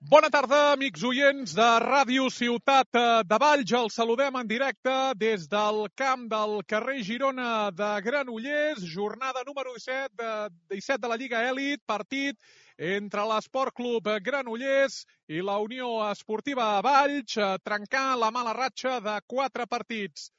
Bona tarda, amics oients de Ràdio Ciutat de Valls. Els saludem en directe des del camp del carrer Girona de Granollers. Jornada número 17 de la Lliga Elit, partit entre l'Esport Club Granollers i la Unió Esportiva Valls, trencant la mala ratxa de 4 partits.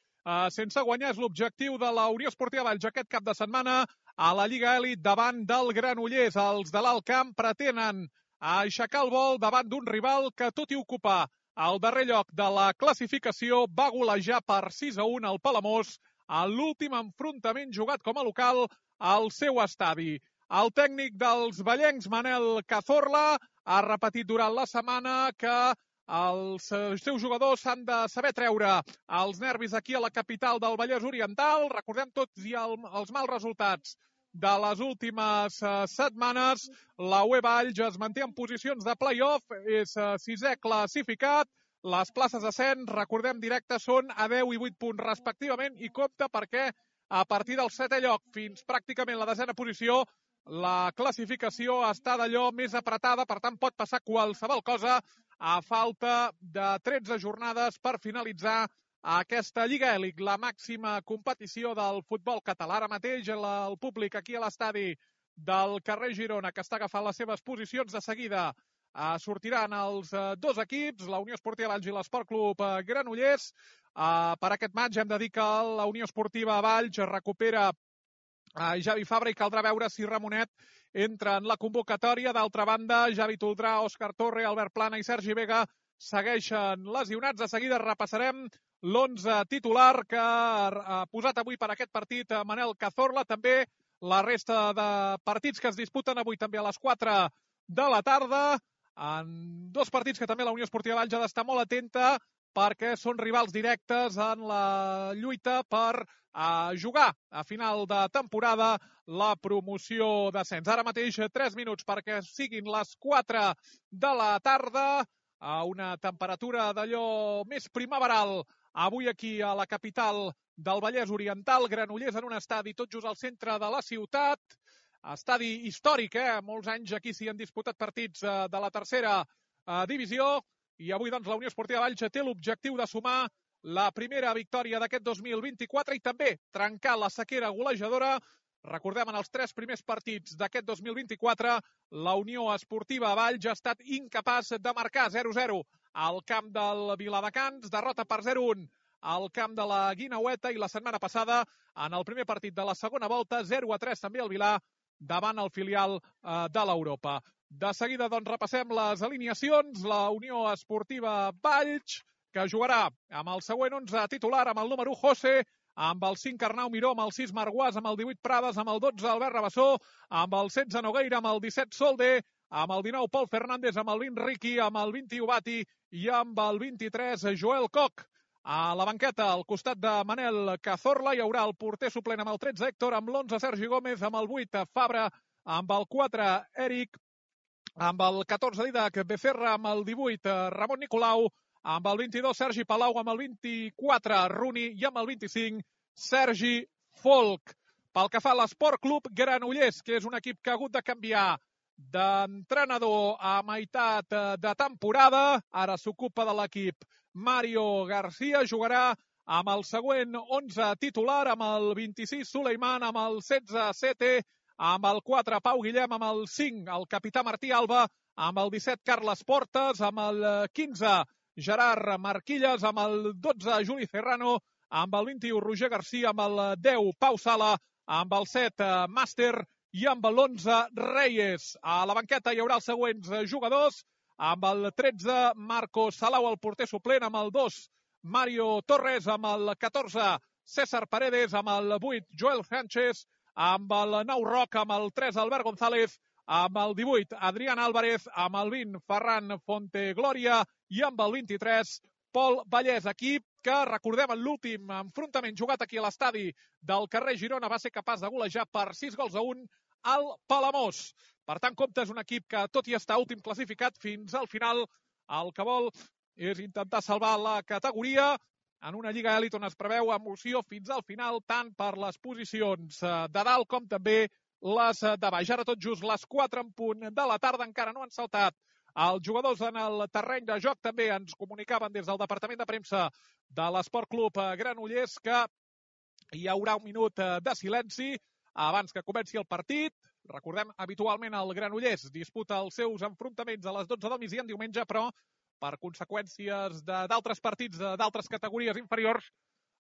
Sense guanyar és l'objectiu de la Unió Esportiva Valls aquest cap de setmana a la Lliga Elit davant del Granollers. Els de l'Alt Camp pretenen a aixecar el vol davant d'un rival que, tot i ocupar el darrer lloc de la classificació, va golejar per 6-1 al Palamós a l'últim enfrontament jugat com a local al seu estadi. El tècnic dels vallencs, Manel Cazorla, ha repetit durant la setmana que els seus jugadors s'han de saber treure els nervis aquí a la capital del Vallès Oriental. Recordem tots i els mals resultats de les últimes setmanes. La UE Valls es manté en posicions de play-off, és sisè classificat. Les places d'ascens, recordem, directes són a 10 i 8 punts respectivament, i compte perquè a partir del 7è lloc fins pràcticament la 10a posició la classificació està d'allò més apretada, per tant pot passar qualsevol cosa a falta de 13 jornades per finalitzar aquesta Lliga Elit, la màxima competició del futbol català. Ara mateix el públic aquí a l'estadi del carrer Girona, que està agafant les seves posicions, de seguida sortiran els dos equips, la Unió Esportiva Valls i l'Esport Club Granollers. Per aquest maig hem de dir que la Unió Esportiva Valls recupera Javi Fabra i caldrà veure si Ramonet entra en la convocatòria. D'altra banda, Javi Toldrà, Òscar Torre, Albert Plana i Sergi Vega segueixen lesionats. De seguida repassarem l'11 titular que ha posat avui per aquest partit Manel Cazorla. També la resta de partits que es disputen avui també a les 4 de la tarda. En dos partits que també la Unió Esportiva Valls ha d'estar molt atenta perquè són rivals directes en la lluita per jugar a final de temporada la promoció d'ascens. Ara mateix 3 minuts perquè siguin les 4 de la tarda, a una temperatura d'allò més primaveral avui aquí a la capital del Vallès Oriental. Granollers en un estadi tot just al centre de la ciutat, estadi històric, molts anys aquí s'hi han disputat partits de la tercera divisió, i avui doncs la Unió Esportiva Valls té l'objectiu de sumar la primera victòria d'aquest 2024 i també trencar la sequera golejadora. Recordem, en els 3 primers partits d'aquest 2024, la Unió Esportiva Valls ha estat incapaç de marcar. 0-0 al camp del Viladecans, derrota per 0-1 al camp de la Guineueta, i la setmana passada, en el primer partit de la segona volta, 0-3 també al Vilà, davant el filial de l'Europa. De seguida, doncs, repassem les alineacions. La Unió Esportiva Valls, que jugarà amb el següent 11 titular, amb el número 1 José, amb el 5 Arnau Miró, amb el 6 Marguàs, amb el 18 Prades, amb el 12 Albert Rabassó, amb el 16 Nogueira, amb el 17 Solde, amb el 19 Pol Fernández, amb el 20 Riqui, amb el 21 Bati i amb el 23 Joel Coc. A la banqueta, al costat de Manel Cazorla, hi haurà el porter suplent amb el 13 Héctor, amb l'11 Sergi Gómez, amb el 8 Fabra, amb el 4 Eric, amb el 14 Didac Becerra, amb el 18 Ramon Nicolau, amb el 22 Sergi Palau, amb el 24 Runi i amb el 25 Sergi Folk. Pel que fa a l'Esport Club Granollers, que és un equip que ha hagut de canviar d'entrenador a meitat de temporada, ara s'ocupa de l'equip Mario García, jugarà amb el següent 11 titular, amb el 26 Suleiman, amb el 16 Sete, amb el 4 Pau Guillem, amb el 5 el capità Martí Alba, amb el 17 Carles Portes, amb el 15 Gerard Marquilles, amb el 12 Juli Serrano, amb el 21 Roger Garcia, amb el 10 Pau Sala, amb el 7 Màster i amb l'11 Reyes. A la banqueta hi haurà els següents jugadors, amb el 13 Marcos Salau, el porter suplent, amb el 2 Mario Torres, amb el 14 César Paredes, amb el 8 Joel Sánchez, amb el 9 Roc, amb el 3 Albert González, amb el 18 Adrián Álvarez, amb el 20 Ferran Fonteglòria i amb el 23 Pol Vallès. Equip que, recordem, en l'últim enfrontament jugat aquí a l'estadi del carrer Girona va ser capaç de golejar per 6-1 al Palamós. Per tant, compte, és un equip que, tot i estar últim classificat fins al final, el que vol és intentar salvar la categoria en una Lliga Elit on es preveu emoció fins al final, tant per les posicions de dalt com també les de baix. Ara tot just les 4 en punt de la tarda, encara no han saltat els jugadors en el terreny de joc. També ens comunicaven des del Departament de Premsa de l'Esport Club Granollers que hi haurà un minut de silenci abans que comenci el partit. Recordem, habitualment el Granollers disputa els seus enfrontaments a les 12 del migdia en diumenge, però per conseqüències d'altres partits d'altres categories inferiors,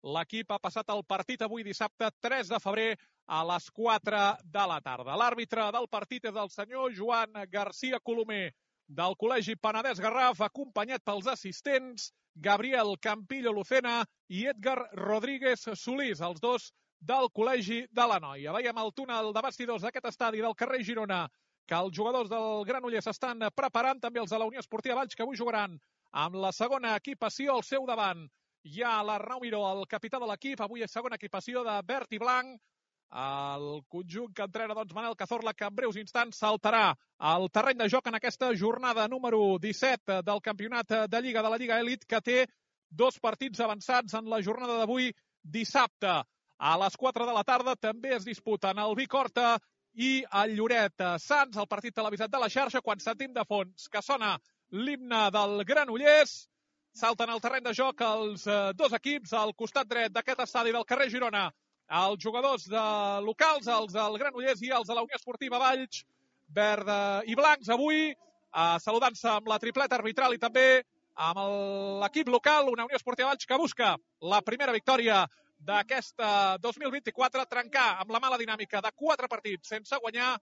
l'equip ha passat el partit avui dissabte 3 de febrer a les 4 de la tarda. L'àrbitre del partit és el senyor Joan García Colomer del Col·legi Penedès Garraf, acompanyat pels assistents Gabriel Campillo Lucena i Edgar Rodríguez Solís, els dos del Col·legi de la Noia. Veiem el túnel de bastidors d'aquest estadi del carrer Girona, que els jugadors del Granollers estan preparant, també els de la Unió Esportiva Valls, que avui jugaran amb la segona equipació al seu davant. Hi ha l'Arnau Miró, el capità de l'equip, avui és segona equipació de verd i blanc. El conjunt que entrena Manel Cazorla, que en breus instants saltarà al terreny de joc en aquesta jornada número 17 del campionat de Lliga de la Lliga Elit, que té dos partits avançats en la jornada d'avui dissabte. A les 4 de la tarda també es disputen el Vic Horta i el Lloret Sants, el partit televisat de la xarxa, quan sentim de fons que sona l'himne del Granollers. Salten al terreny de joc els dos equips al costat dret d'aquest estadi del carrer Girona. Els jugadors locals, els del Granollers i els de la Unió Esportiva Valls, verd i blancs avui, saludant-se amb la tripleta arbitral i també amb l'equip local, una Unió Esportiva Valls que busca la primera victòria d'aquesta 2024, trencar amb la mala dinàmica de 4 partits sense guanyar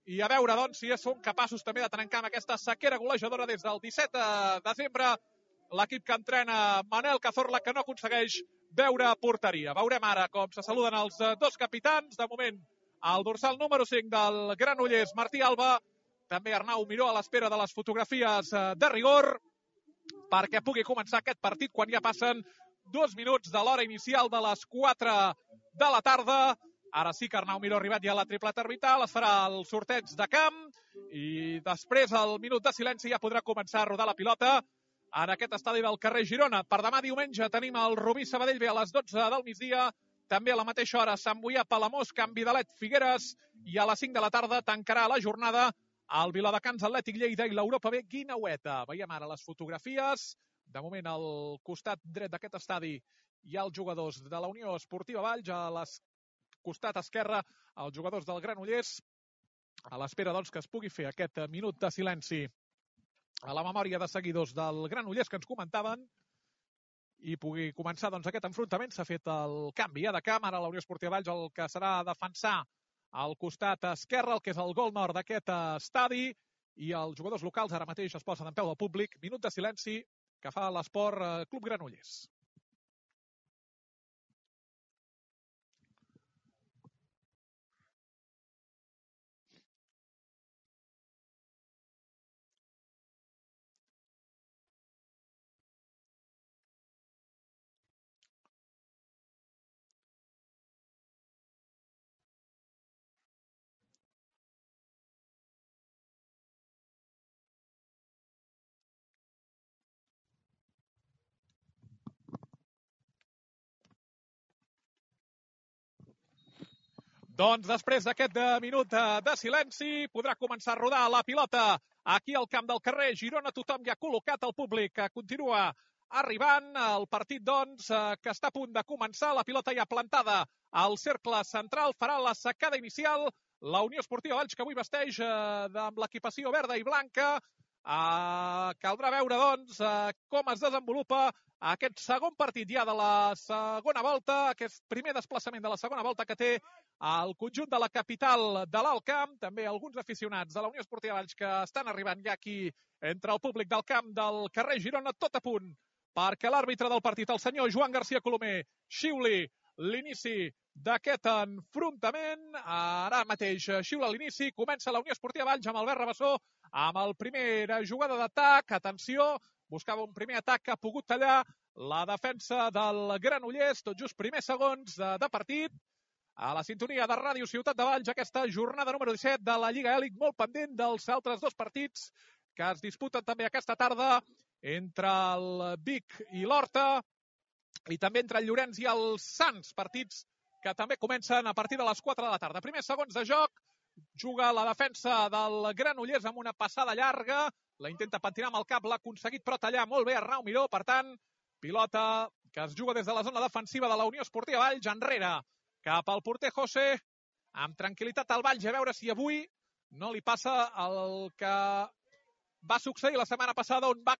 i a veure doncs si són capaços també de trencar amb aquesta sequera golejadora des del 17 de desembre. L'equip que entrena Manel Cazorla, que no aconsegueix veure porteria. Veurem ara com se saluden els dos capitans. De moment, el dorsal número 5 del Granollers, Martí Alba, també Arnau Miró a l'espera de les fotografies de rigor perquè pugui començar aquest partit quan ja passen 2 minuts de l'hora inicial de les 4 de la tarda. Ara sí que Arnau Miró ha arribat ja a la tripleta arbitral, es farà el sorteig de camp i després, al minut de silenci, ja podrà començar a rodar la pilota en aquest estadi del carrer Girona. Per demà diumenge tenim el Rubí Sabadell B a les 12 del migdia, també a la mateixa hora Sant Boià Palamós, Can Vidalet Figueres, i a les 5 de la tarda tancarà la jornada el Viladecans Atlètic Lleida i l'Europa B Guineueta. Veiem ara les fotografies. De moment, al costat dret d'aquest estadi hi ha els jugadors de la Unió Esportiva Valls, a la costat esquerre els jugadors del Granollers, a l'espera doncs, que es pugui fer aquest minut de silenci a la memòria de seguidors del Granollers que ens comentaven i pugui començar doncs, aquest enfrontament. S'ha fet el canvi de camp, ara la Unió Esportiva Valls el que serà defensar al costat esquerre, el que és el gol nord d'aquest estadi, i els jugadors locals ara mateix es posen en peu del públic. Minut de silenci que fa l'Esport Club Granollers. Doncs després d'aquest minut de silenci podrà començar a rodar la pilota aquí al camp del carrer Girona. Tothom ja ha col·locat, el públic continua arribant. El partit, doncs, que està a punt de començar. La pilota ja plantada al cercle central. Farà la secada inicial la Unió Esportiva Valls, que avui vesteix amb l'equipació verda i blanca. Caldrà veure, doncs, com es desenvolupa aquest segon partit ja de la segona volta, aquest primer desplaçament de la segona volta que té el conjunt de la capital de l'Alt Camp. També alguns aficionats de la Unió Esportiva Valls que estan arribant ja aquí entre el públic del camp del carrer Girona, tot a punt perquè l'àrbitre del partit, el senyor Joan García Colomer, xiuli l'inici d'aquest enfrontament. Ara mateix xiula l'inici, comença la Unió Esportiva Valls amb Albert Rabassó, amb el primera jugada d'atac. Atenció, buscava un primer atac que ha pogut tallar la defensa del Granollers, tot just primers segons de partit. A la sintonia de Ràdio Ciutat de Valls, aquesta jornada número 17 de la Lliga Elit, molt pendent dels altres dos partits que es disputen també aquesta tarda entre el Vic i l'Horta i també entre el Llorenç i el Sants, partits que també comencen a partir de les 4 de la tarda. Primers segons de joc, juga la defensa del Granollers amb una passada llarga, la intenta pentinar amb el cap, l'ha aconseguit però tallar molt bé Arnau Miró, per tant, pilota que es juga des de la zona defensiva de la Unió Esportiva Valls, enrere cap al porter José, amb tranquil·litat al Valls, a veure si avui no li passa el que va succeir la setmana passada, on va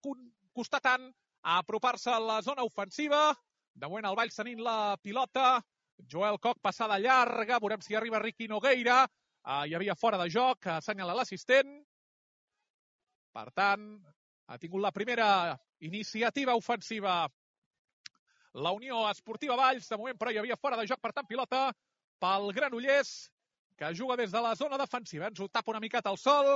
costar tant a apropar-se a la zona ofensiva. De moment el Valls tenint la pilota, Joel Koch, passada llarga, veurem si arriba Ricky Nogueira, hi havia fora de joc, assenyala l'assistent. Per tant, ha tingut la primera iniciativa ofensiva la Unió Esportiva Valls, de moment però hi havia fora de joc, per tant pilota pel Granollers, que juga des de la zona defensiva. Ens ho tapa una miqueta el sol,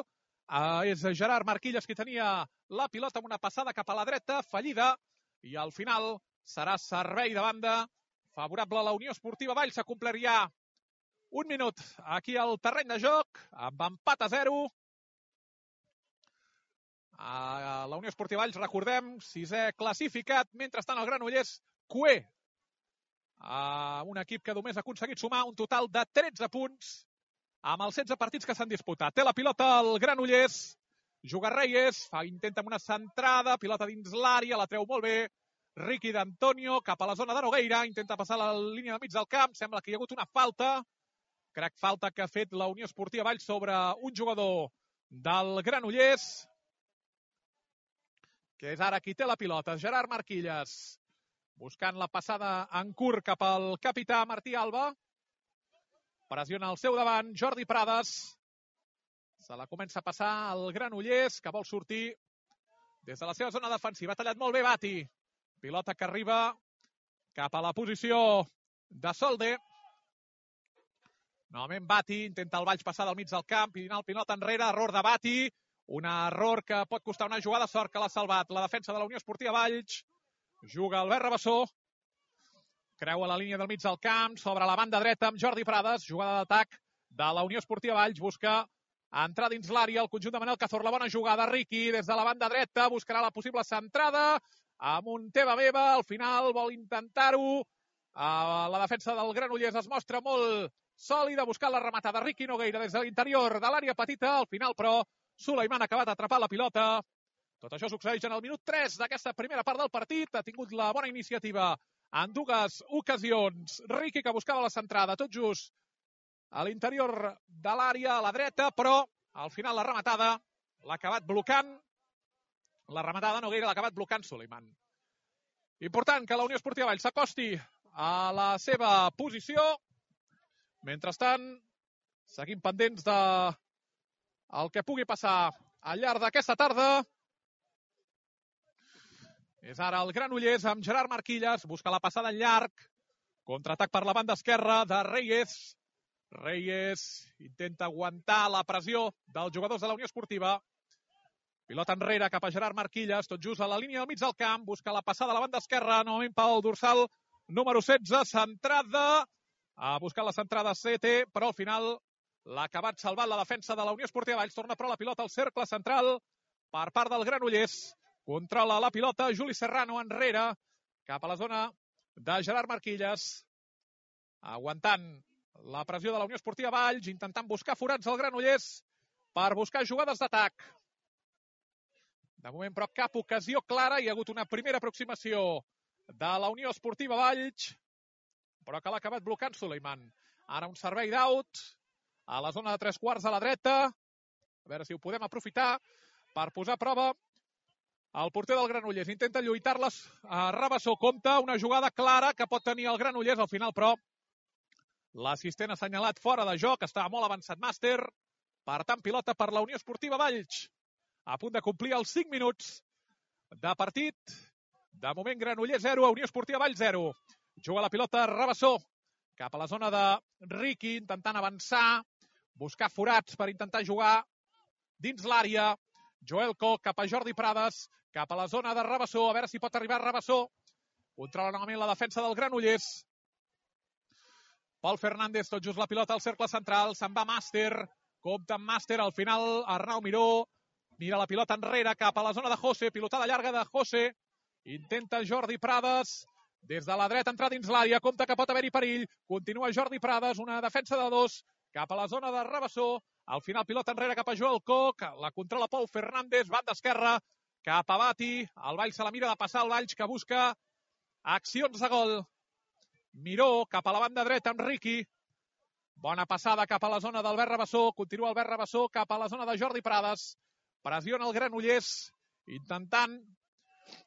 és Gerard Marquilles qui tenia la pilota amb una passada cap a la dreta, fallida, i al final serà servei de banda favorable a la Unió Esportiva Valls. S'ha complert ja un minut aquí al terreny de joc, amb empat a 0. La Unió Esportiva Valls, recordem, sisè classificat, mentrestant el Granollers cué, un equip que només ha aconseguit sumar un total de 13 punts amb els 16 partits que s'han disputat. Té la pilota el Granollers, juga Reyes, intenta amb una centrada, pilota dins l'àrea, la treu molt bé, Ricky d'Antonio cap a la zona de Nogueira, intenta passar la línia de mig del camp, sembla que hi ha hagut una falta, crec falta que ha fet la Unió Esportiva Valls sobre un jugador del Granollers, que és ara qui té la pilota, Gerard Marquilles, buscant la passada en curt cap al capità Martí Alba, pressiona al seu davant Jordi Prades, se la comença a passar el Granollers, que vol sortir des de la seva zona defensiva. Ha tallat molt bé Bati, pilota que arriba cap a la posició de Solde. Novament Bati, intenta el Valls passar del mig del camp i anar el pilota enrere, error de Bati, un error que pot costar una jugada, sort que l'ha salvat la defensa de la Unió Esportiva Valls. Juga Albert Rabassó, creua la línia del mig del camp, sobre la banda dreta amb Jordi Prades, jugada d'atac de la Unió Esportiva Valls, busca entrar dins l'àrea el conjunt de Manel Cazorla, bona jugada, Ricky des de la banda dreta, buscarà la possible centrada, amb un teva-beva, al final vol intentar-ho, la defensa del Granollers es mostra molt sòlida, buscant la rematada, Ricky Nogueira des de l'interior de l'àrea petita, al final però Suleiman ha acabat atrapant la pilota. Tot això succeeix en el minut 3 d'aquesta primera part del partit. Ha tingut la bona iniciativa en dues ocasions. Ricky, que buscava la centrada, tot just a l'interior de l'àrea, a la dreta, però al final la rematada l'ha acabat blocant. La rematada Nogueira l'ha acabat blocant Suleiman. Important que la Unió Esportiva Valls s'acosti a la seva posició. Mentrestant, seguim pendents de el que pugui passar al llarg d'aquesta tarda. És ara el Granollers amb Gerard Marquilles, busca la passada en llarg, contraatac per la banda esquerra de Reyes. Reyes intenta aguantar la pressió dels jugadors de la Unió Esportiva. Pilota enrere cap a Gerard Marquilles, tot just a la línia del mig del camp, busca la passada a la banda esquerra, novament pel dorsal número 16, centrada, a buscar la centrada CT, però al final l'ha acabat salvant la defensa de la Unió Esportiva Valls. Torna però la pilota al cercle central per part del Granollers. Controla la pilota Juli Serrano enrere cap a la zona de Gerard Marquilles. Aguantant la pressió de la Unió Esportiva Valls, intentant buscar forats al Granollers per buscar jugades d'atac. De moment, però, cap ocasió clara. Hi ha hagut una primera aproximació de la Unió Esportiva Valls, però que l'ha acabat blocant Suleiman. Ara un servei d'out a la zona de 3/4 a la dreta. A veure si ho podem aprofitar per posar a prova el porter del Granollers. Intenta lluitar-les a Rabassó. Compta una jugada clara que pot tenir el Granollers. Al final, però, l'assistent ha assenyalat fora de joc. Estava molt avançat Màster. Per tant, pilota per la Unió Esportiva Valls. A punt de complir els 5 minuts de partit. De moment, Granollers 0, Unió Esportiva Valls 0. Juga la pilota Rabassó cap a la zona de Ricky, intentant avançar, buscar forats per intentar jugar dins l'àrea. Joel Koch cap a Jordi Prades, cap a la zona de Rabassó, a veure si pot arribar Rabassó. Controla novament la defensa del Granollers. Pol Fernández, tot just la pilota al cercle central, se'n va Màster, compta amb Màster, al final Arnau Miró, mira la pilota enrere cap a la zona de José, pilotada llarga de José, intenta Jordi Prades, des de la dreta entrar dins l'àrea, compta que pot haver-hi perill, continua Jordi Prades, una defensa de 2, cap a la zona de Rabassó. Al final pilota enrere cap a Joel Koch, la controla Pol Fernández, banda esquerra, cap a Bati. El Valls se la mira de passar el Valls, que busca accions de gol. Miró cap a la banda dreta amb Riqui. Bona passada cap a la zona d'Albert Rabassó. Continua Albert Rabassó cap a la zona de Jordi Prades. Pressiona el Granollers, intentant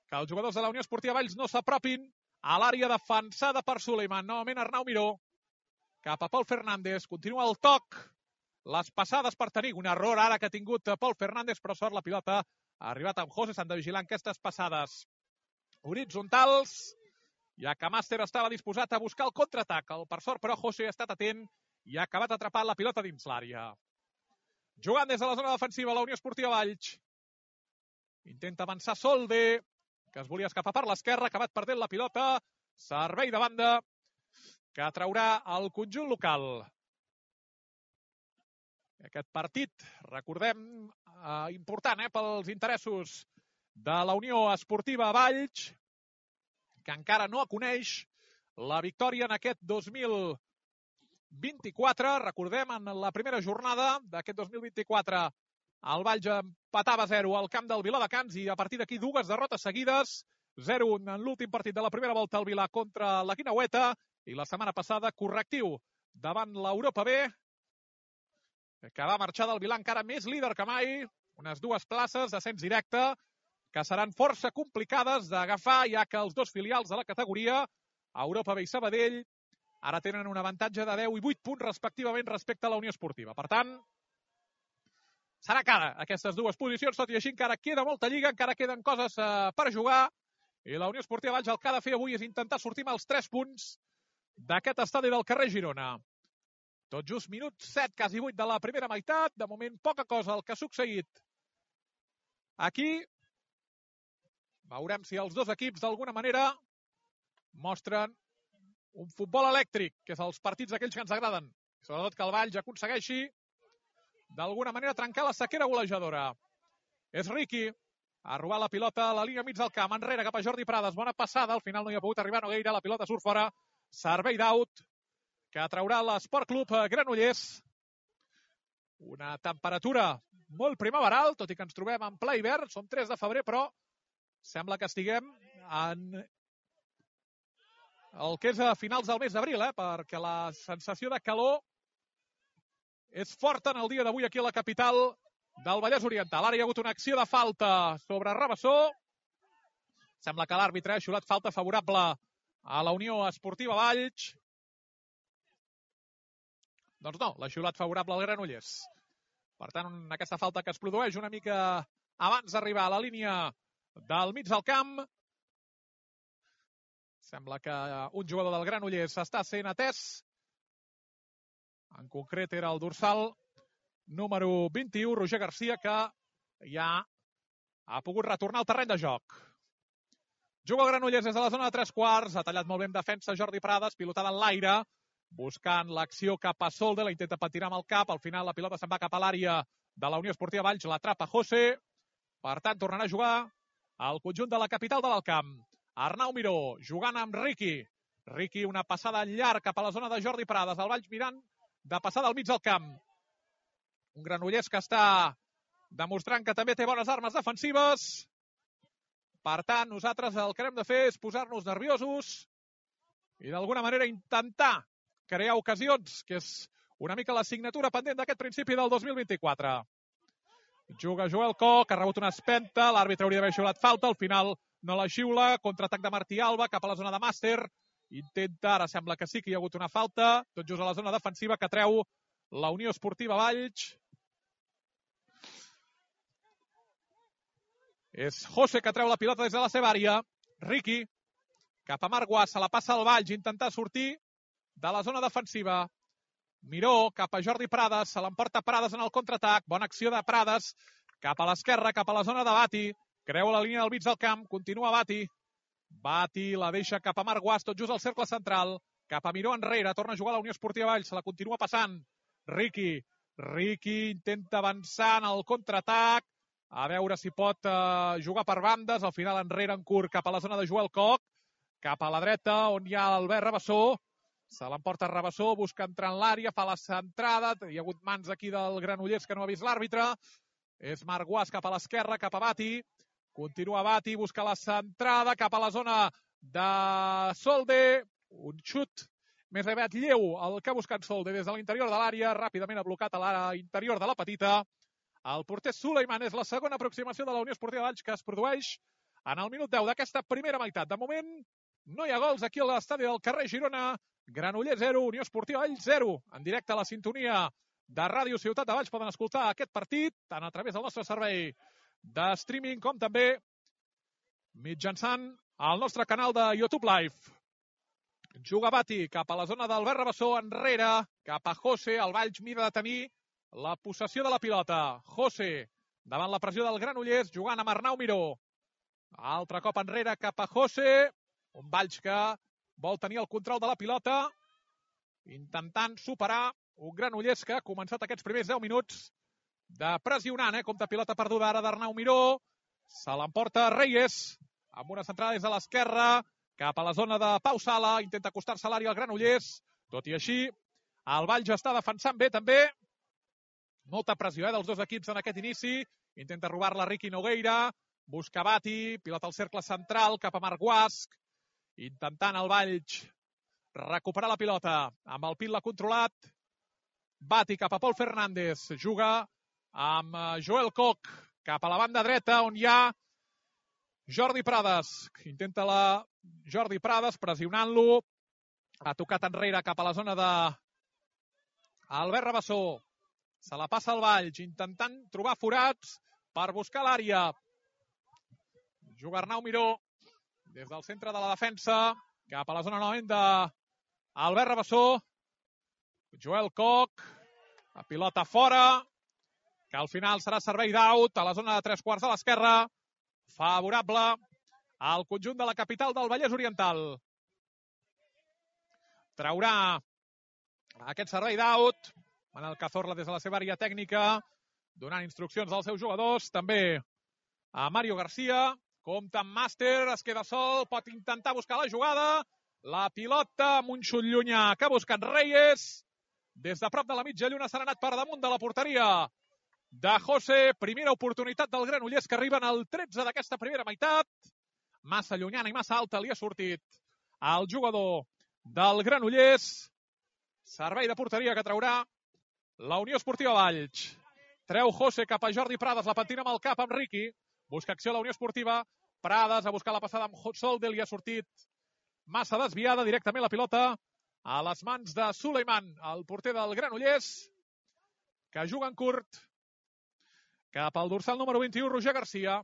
que els jugadors de la Unió Esportiva Valls no s'apropin a l'àrea defensada per Suleiman. Novament Arnau Miró cap a Pol Fernández. Continua el toc. Les passades per tenir un error ara que ha tingut Pol Fernández, però sort la pilota ha arribat amb José. S'han de vigilar aquestes passades horitzontals, ja que Màster estava disposat a buscar el contraatac. Per sort, però, José ha estat atent i ha acabat atrapant la pilota dins l'àrea. Jugant des de la zona defensiva, la Unió Esportiva Valls intenta avançar Solde, que es volia escapar per l'esquerra, ha acabat perdent la pilota. Servei de banda que traurà el conjunt local. Aquest partit, recordem, important pels interessos de la Unió Esportiva Valls, que encara no coneix la victòria en aquest 2024. Recordem, en la primera jornada d'aquest 2024, el Valls empatava 0 al camp del Viladecans i a partir d'aquí dues derrotes seguides. 0-1 en l'últim partit de la primera volta al Vilà contra la Guineueta i la setmana passada correctiu davant l'Europa B, que va marxar del Vilà encara més líder que mai. Unes dues places d'ascens directe que seran força complicades d'agafar, ja que els dos filials de la categoria, Europa B i Sabadell, ara tenen un avantatge de 10 i 8 punts respectivament respecte a la Unió Esportiva. Per tant, serà cara aquestes dues posicions, tot i així encara queda molta lliga, encara queden coses per jugar, i la Unió Esportiva Valls el que ha de fer avui és intentar sortir amb els 3 punts d'aquest estadi del carrer Girona. Tot just minut 7, quasi 8 de la primera meitat. De moment, poca cosa el que ha succeït aquí. Veurem si els dos equips, d'alguna manera, mostren un futbol elèctric, que és els partits aquells que ens agraden. Sobretot que el Valls aconsegueixi, d'alguna manera, trencar la sequera golejadora. És Riqui. Ha robat la pilota a la línia mig del camp. Enrere cap a Jordi Prades. Bona passada. Al final no hi ha pogut arribar Nogueira. La pilota surt fora. Servei d'out que traurà l'Esport Club Granollers. Una temperatura molt primaveral, tot i que ens trobem en ple hivern. Som 3 de febrer, però sembla que estiguem en el que és a finals del mes d'abril, perquè la sensació de calor és forta en el dia d'avui aquí a la capital del Vallès Oriental. Ara hi ha hagut una acció de falta sobre Rabassó. Sembla que l'àrbitre ha xiulat falta favorable a la Unió Esportiva Valls. Doncs no, l'ha xiulat favorable al Granollers. Per tant, aquesta falta que es produeix una mica abans d'arribar a la línia del mig del camp. Sembla que un jugador del Granollers està sent atès. En concret era el dorsal número 21, Roger Garcia, que ja ha pogut retornar al terreny de joc. Juga el Granollers des de la zona de 3 quarts. Ha tallat molt bé en defensa Jordi Prades, pilotada en l'aire, buscant l'acció cap a Solde, la intenta patinar amb el cap. Al final la pilota se'n va cap a l'àrea de la Unió Esportiva Valls, l'atrapa José. Per tant, tornarà a jugar al conjunt de la capital de l'Alcamp. Arnau Miró, jugant amb Riqui. Riqui, una passada llarg cap a la zona de Jordi Prades. El Valls mirant de passada al mig del camp. Un Granollers que està demostrant que també té bones armes defensives. Per tant, nosaltres el que hem de fer és posar-nos nerviosos i d'alguna manera intentar crear ocasions, que és una mica la signatura pendent d'aquest principi del 2024. Juga Joel Koch, que ha rebut una espenta, l'àrbitre hauria d'haver xiulat falta, al final no la xiula, contraatac de Martí Alba cap a la zona de Màster, intenta, ara sembla que sí que hi ha hagut una falta, tot just a la zona defensiva que treu la Unió Esportiva Valls. És José que treu la pilota des de la seva àrea. Riqui, cap a Marc Guas, se la passa al Valls, intentar sortir de la zona defensiva. Miró, cap a Jordi Prades, se l'emporta Prades en el contraatac. Bona acció de Prades, cap a l'esquerra, cap a la zona de Bati. Creu la línia del mig del camp, continua Bati. Bati la deixa cap a Marc Guas, tot just al cercle central. Cap a Miró enrere, torna a jugar la Unió Esportiva Valls, se la continua passant. Riqui intenta avançar en el contraatac, a veure si pot jugar per bandes. Al final enrere en curt cap a la zona de Joel Koch, cap a la dreta on hi ha Albert Rabassó. Se l'emporta Rabassó, busca entrar en l'àrea, fa la centrada. Hi ha hagut mans aquí del Granollers que no ha vist l'àrbitre. És Marc Guas cap a l'esquerra, cap a Bati. Continua Bati, busca la centrada cap a la zona de Solde. Un xut més aviat lleu el que ha buscat Solde des de l'interior de l'àrea. Ràpidament ha blocat a l'àrea interior de la petita. El porter Suleiman és la segona aproximació de la Unió Esportiva Valls que es produeix en el minut 10 d'aquesta primera meitat. De moment, no hi ha gols aquí a l'estadi del carrer Girona. Granollers 0, Unió Esportiva Valls 0. En directe a la sintonia de Ràdio Ciutat de Valls poden escoltar aquest partit, tant a través del nostre servei de streaming com també mitjançant el nostre canal de YouTube Live. Juga Bati cap a la zona d'Albert Rabassó, enrere, cap a José. El Valls mira de tenir la possessió de la pilota. José, davant la pressió del Granollers, jugant amb Arnau Miró. Altre cop enrere cap a José. Un Valls que vol tenir el control de la pilota, intentant superar un Granollers que ha començat aquests primers 10 minuts de pressionant, compta pilota perduda ara d'Arnau Miró. Se l'emporta Reyes, amb una centrada des de l'esquerra, cap a la zona de Pau Sala, intenta acostar-se a l'àrea al Granollers. Tot i així, el Valls està defensant bé també. Molta pressió dels dos equips en aquest inici. Intenta robar-la Riqui Nogueira, busca Bati, pilota al cercle central cap a Marc Guasc, intentant el Valls recuperar la pilota. Amb el pit l'ha controlat. Bati cap a Pol Fernández. Juga amb Joel Koch cap a la banda dreta, on hi ha Jordi Prades. Intenta la Jordi Prades, pressionant-lo. Ha tocat enrere cap a la zona de Albert Rabassó. Se la passa al Valls, intentant trobar forats per buscar l'àrea. Juga Arnau Miró des del centre de la defensa cap a la zona novament d'Albert Rabassó. Joel Koch, la pilota fora, que al final serà servei d'out a la zona de 3/4 a l'esquerra, favorable al conjunt de la capital del Vallès Oriental. Traurà aquest servei d'out Manel Cazorla des de la seva àrea tècnica, donant instruccions als seus jugadors, també a Mario García. Compta amb Màster, es queda sol, pot intentar buscar la jugada. La pilota amb un xut llunyà que ha buscat Reyes. Des de prop de la mitja lluna s'ha anat per damunt de la porteria de José. Primera oportunitat del Granollers que arriba en el 13 d'aquesta primera meitat. Massa llunyana i massa alta li ha sortit al jugador del Granollers. Servei de porteria que traurà la Unió Esportiva Valls. Treu José cap a Jordi Prades, la pentina amb el cap amb Riqui. Busca acció a la Unió Esportiva. Prades a buscar la passada amb Solde, li ha sortit massa desviada. Directament la pilota a les mans de Suleiman, el porter del Granollers, que juga en curt cap al dorsal número 21, Roger García.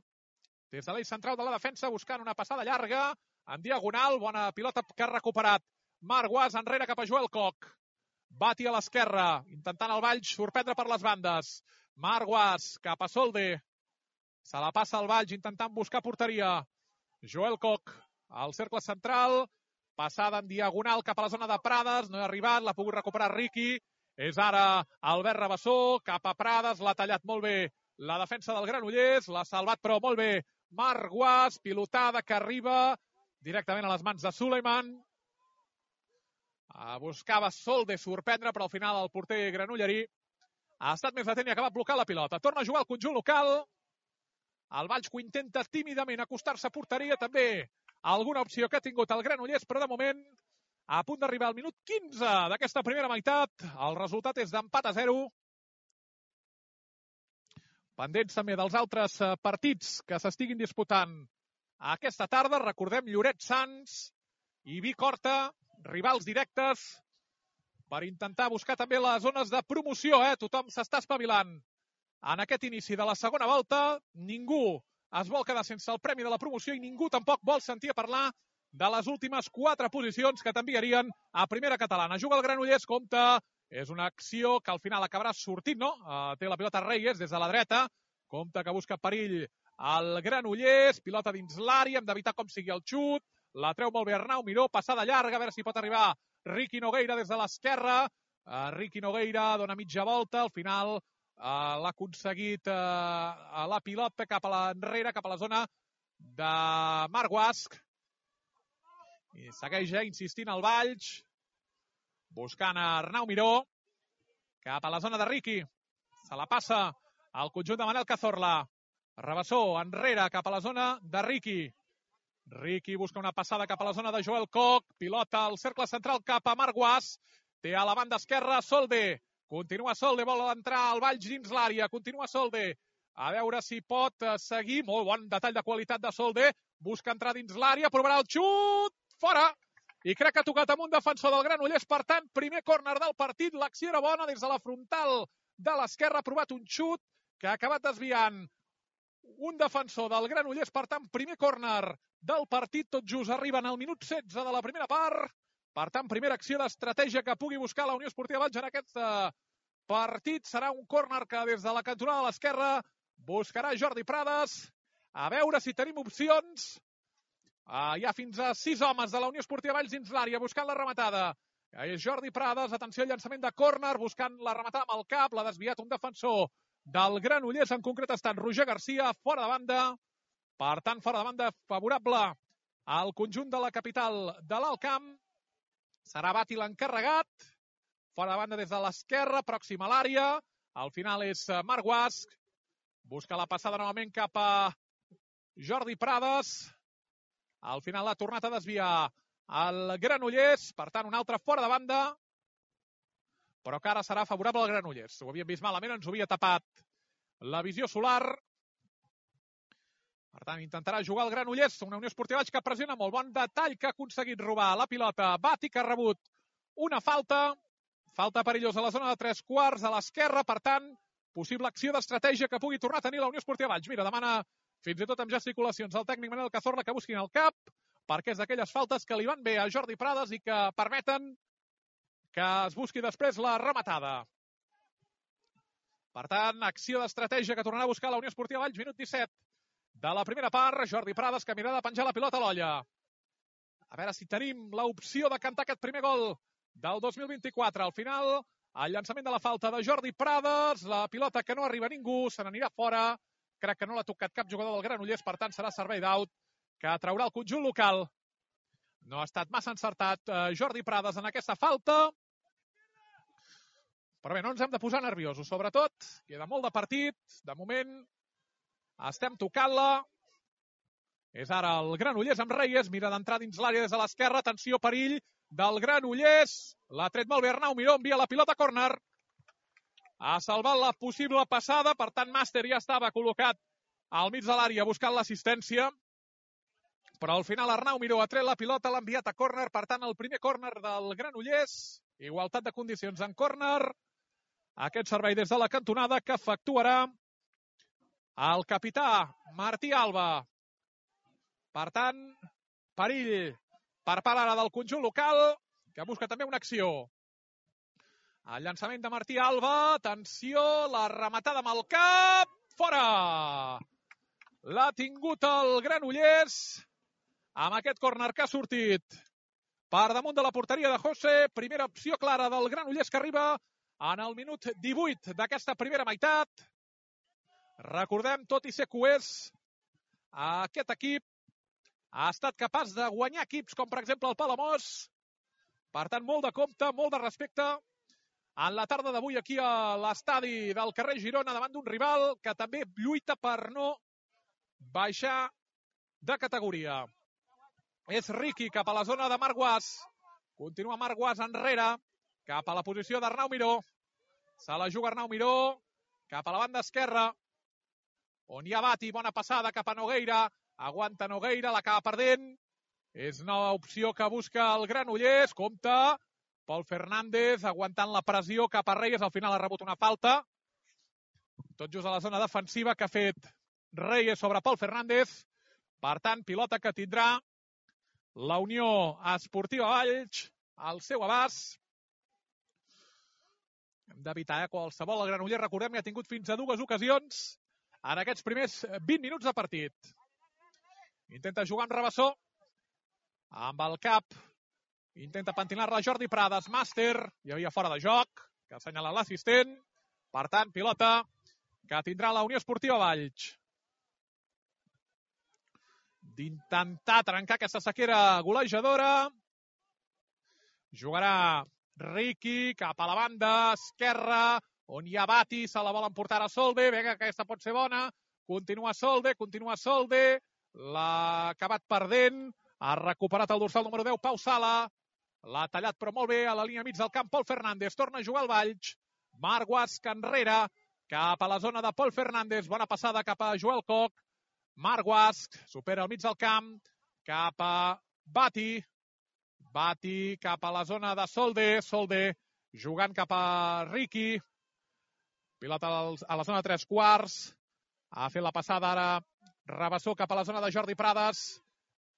Des de l'eix central de la defensa, buscant una passada llarga, en diagonal, bona pilota que ha recuperat Marc Guas, enrere cap a Joel Koch. Bati a l'esquerra, intentant el Valls sorprendre per les bandes. Marc Guas cap a Solde. Se la passa al Valls intentant buscar porteria. Joel Koch al cercle central. Passada en diagonal cap a la zona de Prades. No ha arribat, l'ha pogut recuperar Riqui. És ara Albert Rabassó cap a Prades. L'ha tallat molt bé la defensa del Granollers. L'ha salvat però molt bé Marc Guas. Pilotada que arriba directament a les mans de Suleiman. Buscava Solde sorprendre, però al final el porter granollerí ha estat més atent i ha acabat blocant la pilota. Torna a jugar el conjunt local. El Valls que intenta tímidament acostar-se a porteria. També alguna opció que ha tingut el Granollers, però de moment a punt d'arribar al minut 15 d'aquesta primera meitat. El resultat és d'empat a 0. Pendents també dels altres partits que s'estiguin disputant aquesta tarda. Recordem Lloret Sants i Vic Horta, rivals directes per intentar buscar també les zones de promoció. Tothom s'està espavilant en aquest inici de la segona volta. Ningú es vol quedar sense el premi de la promoció i ningú tampoc vol sentir a parlar de les últimes 4 posicions que t'enviarien a primera catalana. Juga el Granollers, compta, és una acció que al final acabarà sortint, no? Té la pilota Reyes des de la dreta, compta que busca perill el Granollers, pilota dins l'àrea, hem d'evitar com sigui el xut, la treu molt bé Arnau Miró, passada llarga, a veure si pot arribar Riqui Nogueira des de l'esquerra. Riqui Nogueira dona mitja volta, al final l'ha aconseguit a la pilota cap a l'enrere, cap a la zona de Marc Guasc. I segueix insistint el Valls. buscant a Arnau Miró, cap a la zona de Riqui. Se la passa al conjunt de Manel Cazorla. Rabassó, enrere, cap a la zona de Riqui. Riqui busca una passada cap a la zona de Joel Koch. Pilota al cercle central cap a Marc Guas. Té a la banda esquerra Solde. Continua Solde, vol entrar al Valls dins l'àrea. Continua Solde. A veure si pot seguir. Molt bon detall de qualitat de Solde. Busca entrar dins l'àrea, provarà el xut. Fora! I crec que ha tocat amb un defensor del Granollers. Per tant, primer córner del partit. L'acció era bona des de la frontal de l'esquerra. Ha provat un xut que ha acabat desviant un defensor del Granollers. Per tant, primer córner del partit. Tot just arriben al minut 16 de la primera part. Per tant, primera acció d'estratègia que pugui buscar la Unió Esportiva Valls en aquest partit. Serà un córner que des de la cantonada de l'esquerra buscarà Jordi Prades. A veure si tenim opcions. Hi ha fins a 6 homes de la Unió Esportiva Valls dins l'àrea buscant la rematada. És Jordi Prades, atenció al llançament de córner, buscant la rematada amb el cap, l'ha desviat un defensor del Granollers, en concret ha estat Roger Garcia, fora de banda. Per tant, fora de banda favorable al conjunt de la capital de l'Alt Camp. Serà Bati l'encarregat. Fora de banda des de l'esquerra, pròxim a l'àrea. Al final és Marc Guas. Busca la passada novament cap a Jordi Prades. Al final l'ha tornat a desviar el Granollers. Per tant, un altre fora de banda. Però que ara serà favorable al Granollers. Ho havíem vist malament, ens ho havia tapat la visió solar. Per tant, intentarà jugar el Granollers. Una Unió Esportiva Valls que pressiona molt. Bon detall que ha aconseguit robar la pilota. Bati que ha rebut una falta. Falta perillosa a la zona de 3/4 a l'esquerra. Per tant, possible acció d'estratègia que pugui tornar a tenir la Unió Esportiva Valls. Mira, demana fins i tot amb gesticulacions al tècnic Manel Cazorla que busquin el cap, perquè és d'aquelles faltes que li van bé a Jordi Prades i que permeten que es busqui després la rematada. Per tant, acció d'estratègia que tornarà a buscar la Unió Esportiva Valls, minut 17 de la primera part. Jordi Prades que mirarà de penjar la pilota a l'olla. A veure si tenim l'opció de cantar aquest primer gol del 2024. Al final, el llançament de la falta de Jordi Prades, la pilota que no arriba a ningú, se n'anirà fora. Crec que no l'ha tocat cap jugador del Granollers, per tant serà servei d'out que traurà el conjunt local. No ha estat massa encertat Jordi Prades en aquesta falta. Però bé, no ens hem de posar nerviosos. Sobretot, queda molt de partit. De moment, estem tocant-la. És ara el Granollers amb Reyes. Mira d'entrar dins l'àrea des de l'esquerra. Atenció, perill del Granollers. L'ha tret molt bé Arnau Miró. Envia la pilota a córner. Ha salvat la possible passada. Per tant, Màster ja estava col·locat al mig de l'àrea buscant l'assistència. Però al final Arnau Miró ha tret la pilota, l'ha enviat a córner. Per tant, el primer córner del Granollers. Igualtat de condicions en córner. Aquest servei des de la cantonada que efectuarà el capità Martí Alba. Per tant, perill per part ara del conjunt local, que busca també una acció. El llançament de Martí Alba. Atenció, la rematada amb el cap. Fora! L'ha tingut el Granollers amb aquest córner que ha sortit per damunt de la porteria de José. Primera opció clara del Granollers que arriba en el minut 18 d'aquesta primera meitat. Recordem, tot i ser coers, aquest equip ha estat capaç de guanyar equips com, per exemple, el Palamós. Per tant, molt de compte, molt de respecte en la tarda d'avui aquí a l'estadi del carrer Girona davant d'un rival que també lluita per no baixar de categoria. És Riqui cap a la zona de Marc Guas. Continua Marc Guas enrere, cap a la posició d'Arnau Miró. Se la juga Arnau Miró, cap a la banda esquerra, on hi ha Bati, bona passada cap a Nogueira. Aguanta Nogueira, l'acaba perdent. És nova opció que busca el Granollers. Compte, Pol Fernández aguantant la pressió cap a Reyes. Al final ha rebut una falta. Tot just a la zona defensiva que ha fet Reyes sobre Pol Fernández. Per tant, pilota que tindrà la Unió Esportiva Valls al seu abast. Hem d'evitar qualsevol. El Granollers, recordem, que ha tingut fins a 2 ocasions en aquests primers 20 minuts de partit. Intenta jugar amb Rabassó. Amb el cap. Intenta pentinar-la Jordi Prades. Màster. Hi havia fora de joc, que assenyala l'assistent. Per tant, pilota que tindrà la Unió Esportiva Valls. D'intentar trencar aquesta sequera golejadora. Jugarà Riqui, cap a la banda esquerra, on hi ha Bati, se la volen portar a Solde, vinga, aquesta pot ser bona, continua Solde, l'ha acabat perdent, ha recuperat el dorsal número 10, Pau Sala, l'ha tallat però molt bé a la línia mig del camp, Pol Fernández, torna a jugar al Valls, Marc Guasc enrere, cap a la zona de Pol Fernández, bona passada cap a Joel Koch, Marc Guasc, supera al mig del camp, cap a Bati, Bati cap a la zona de Solde, Solde jugant cap a Riqui, pilota a la zona de 3/4, ha fet la passada ara Rabassó cap a la zona de Jordi Prades,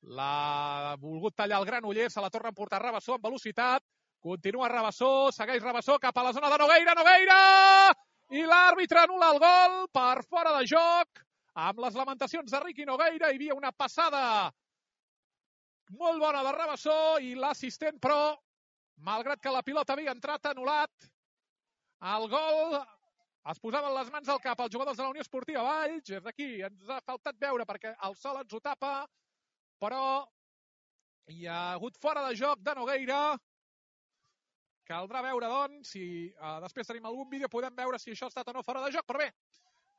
l'ha volgut tallar el Granollers, se la torna a emportar Rabassó amb velocitat, continua Rabassó, segueix Rabassó cap a la zona de Nogueira, Nogueira! I l'àrbitre anul·la el gol per fora de joc, amb les lamentacions de Riqui Nogueira, hi havia una passada molt bona de Rabassó i l'assistent, però, malgrat que la pilota havia entrat, anul·lat el gol, es posaven les mans al cap els jugadors de la Unió Esportiva Valls, és d'aquí, ens ha faltat veure perquè el sol ens ho tapa, però hi ha hagut fora de joc de Nogueira. Caldrà veure, doncs, si després tenim algun vídeo, podem veure si això ha estat o no fora de joc, però bé,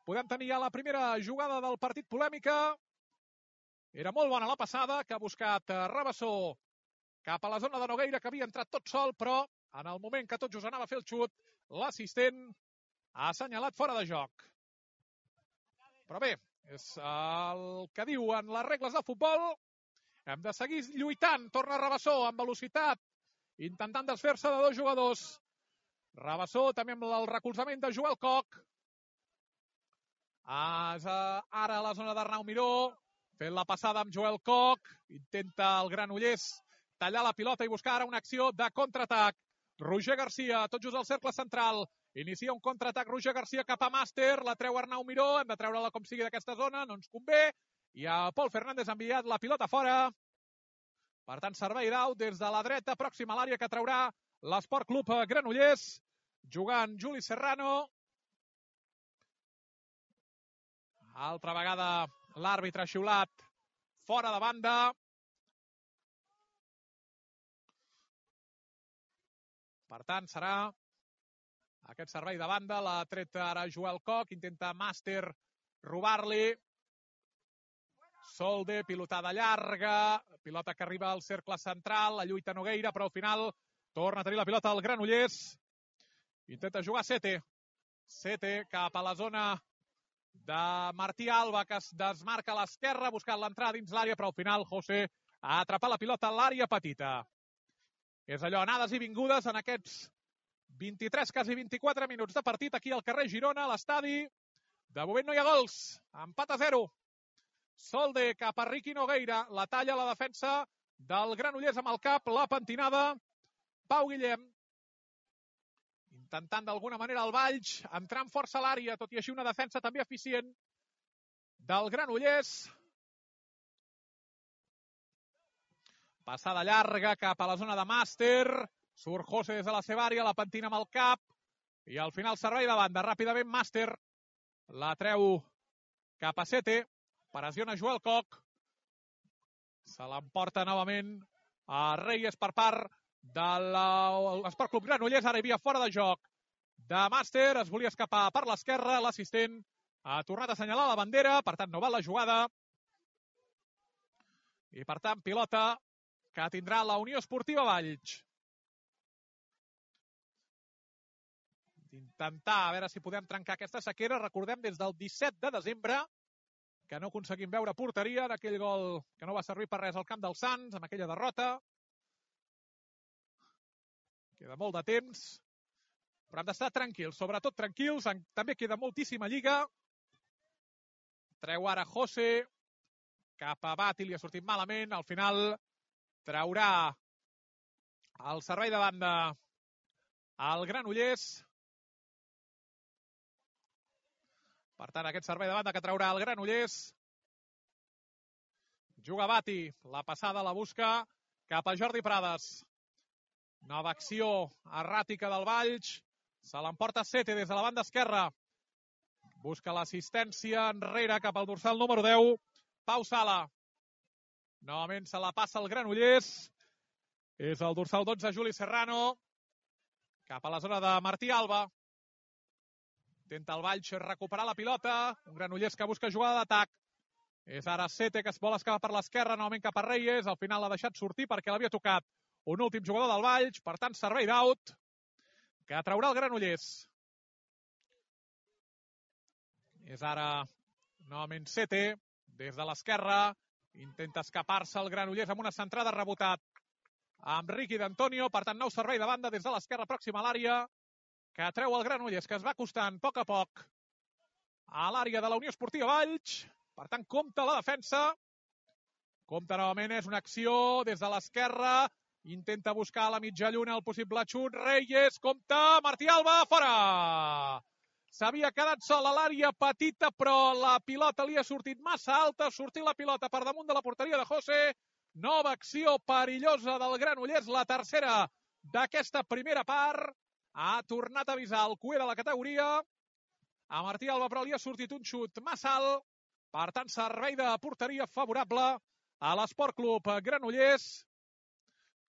podem tenir ja la primera jugada del partit polèmica. Era molt bona la passada, que ha buscat Rabassó cap a la zona de Nogueira, que havia entrat tot sol, però en el moment que tot just anava a fer el xut, l'assistent ha assenyalat fora de joc. Però bé, és el que diuen les regles del futbol. Hem de seguir lluitant. Torna Rabassó amb velocitat, intentant desfer-se de dos jugadors. Rabassó també amb el recolzament de Joel Koch. Ara a la zona d'Arnau Miró, fent la passada amb Joel Koch, intenta el Granollers tallar la pilota i buscar ara una acció de contraatac. Roger Garcia, tot just al cercle central, inicia un contraatac Roger Garcia cap a Màster, la treu Arnau Miró, hem de treure-la com sigui d'aquesta zona, no ens convé, i a Pol Fernández ha enviat la pilota fora. Per tant, servei d'out des de la dreta, pròxima a l'àrea que traurà l'Esport Club Granollers, jugant Juli Serrano. Altra vegada l'àrbitre ha xiulat fora de banda. Per tant, serà aquest servei de banda. L'ha tret ara Joel Koch, intenta Màster robar-li. Solde, pilotada llarga, pilota que arriba al cercle central, la lluita Nogueira, però al final torna a tenir la pilota al Granollers. Intenta jugar Sete. Sete cap a la zona de Martí Alba, que es desmarca a l'esquerra, buscant l'entrada dins l'àrea, però al final José ha atrapat la pilota a l'àrea petita. És allò, anades i vingudes en aquests 23, quasi 24 minuts de partit aquí al carrer Girona, a l'estadi. De moment no hi ha gols, empat a 0. Solde cap a Riqui Nogueira, la talla a la defensa del Granollers amb el cap, la pentinada, Pau Guillem. Intentant d'alguna manera el Valls entrar amb força a l'àrea, tot i així una defensa també eficient del Granollers. Passada llarga cap a la zona de Màster, surt José des de la seva àrea, la pentina amb el cap, i al final servei de banda, ràpidament Màster la treu cap a Sete, pressiona Joel Koch, se l'emporta novament a Reyes per part de l'Esport Club Granollers, ara hi havia fora de joc de Màster, es volia escapar per l'esquerra, l'assistent ha tornat a assenyalar la bandera, per tant no val la jugada, i per tant pilota que tindrà la Unió Esportiva Valls. Intentar a veure si podem trencar aquesta sequera, recordem des del 17 de desembre que no aconseguim veure porteria d'aquell gol que no va servir per res al camp dels Sants, amb aquella derrota. Queda molt de temps, però hem d'estar tranquils, sobretot tranquils, també queda moltíssima lliga. Treu ara José, cap a Bati, li ha sortit malament, al final traurà el servei de banda al Granollers. Per tant, aquest servei de banda que traurà el Granollers. Juga Bati, la passada la busca cap a Jordi Prades. Nova acció erràtica del Valls. Se l'emporta Sete des de la banda esquerra. Busca l'assistència enrere cap al dorsal número 10. Pau Sala. Novament se la passa el Granollers. És el dorsal 12, Juli Serrano. cap a la zona de Martí Alba. Intenta el Valls recuperar la pilota. Un Granollers que busca jugada d'atac. És ara Sete, que es vol escapar per l'esquerra, novament cap a Reyes. Al final l'ha deixat sortir perquè l'havia tocat un últim jugador del Valls. Per tant, servei d'out que traurà el Granollers. És ara novament Sete, des de l'esquerra. Intenta escapar-se el Granollers amb una centrada, rebotat amb Ricky D'Antonio. Per tant, nou servei de banda des de l'esquerra pròxima a l'àrea, que treu el Granollers, que es va acostant a poc a l'àrea de la Unió Esportiva Valls. Per tant, compta la defensa. Compta novament, és una acció des de l'esquerra. Intenta buscar a la mitja lluna el possible xut. Reyes, compta, Martí Alba, fora! S'havia quedat sol a l'àrea petita, però la pilota li ha sortit massa alta. Ha sortit la pilota per damunt de la porteria de José. Nova acció perillosa del Granollers, la tercera d'aquesta primera part. Ha tornat a avisar el cuer de la categoria. A Martí Alba, però li ha sortit un xut massa alt. Per tant, servei de porteria favorable a l'Esport Club Granollers,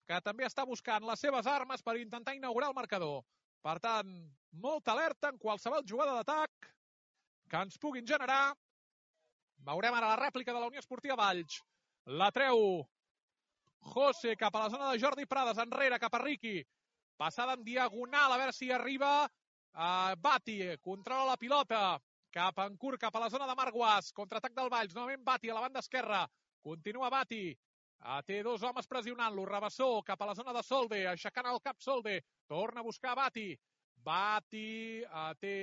que també està buscant les seves armes per intentar inaugurar el marcador. Per tant, molta alerta en qualsevol jugada d'atac que ens puguin generar. Veurem ara la rèplica de la Unió Esportiva Valls. La treu José cap a la zona de Jordi Prades, enrere cap a Ricky. Passada en diagonal, a veure si arriba Bati, controla la pilota. Cap en curt, cap a la zona de Marc Guas. Contraatac del Valls, novament Bati a la banda esquerra. Continua Bati. Té dos homes pressionant-lo. Rabassó cap a la zona de Solde, aixecant el cap Solde. Torna a buscar Bati. Bati té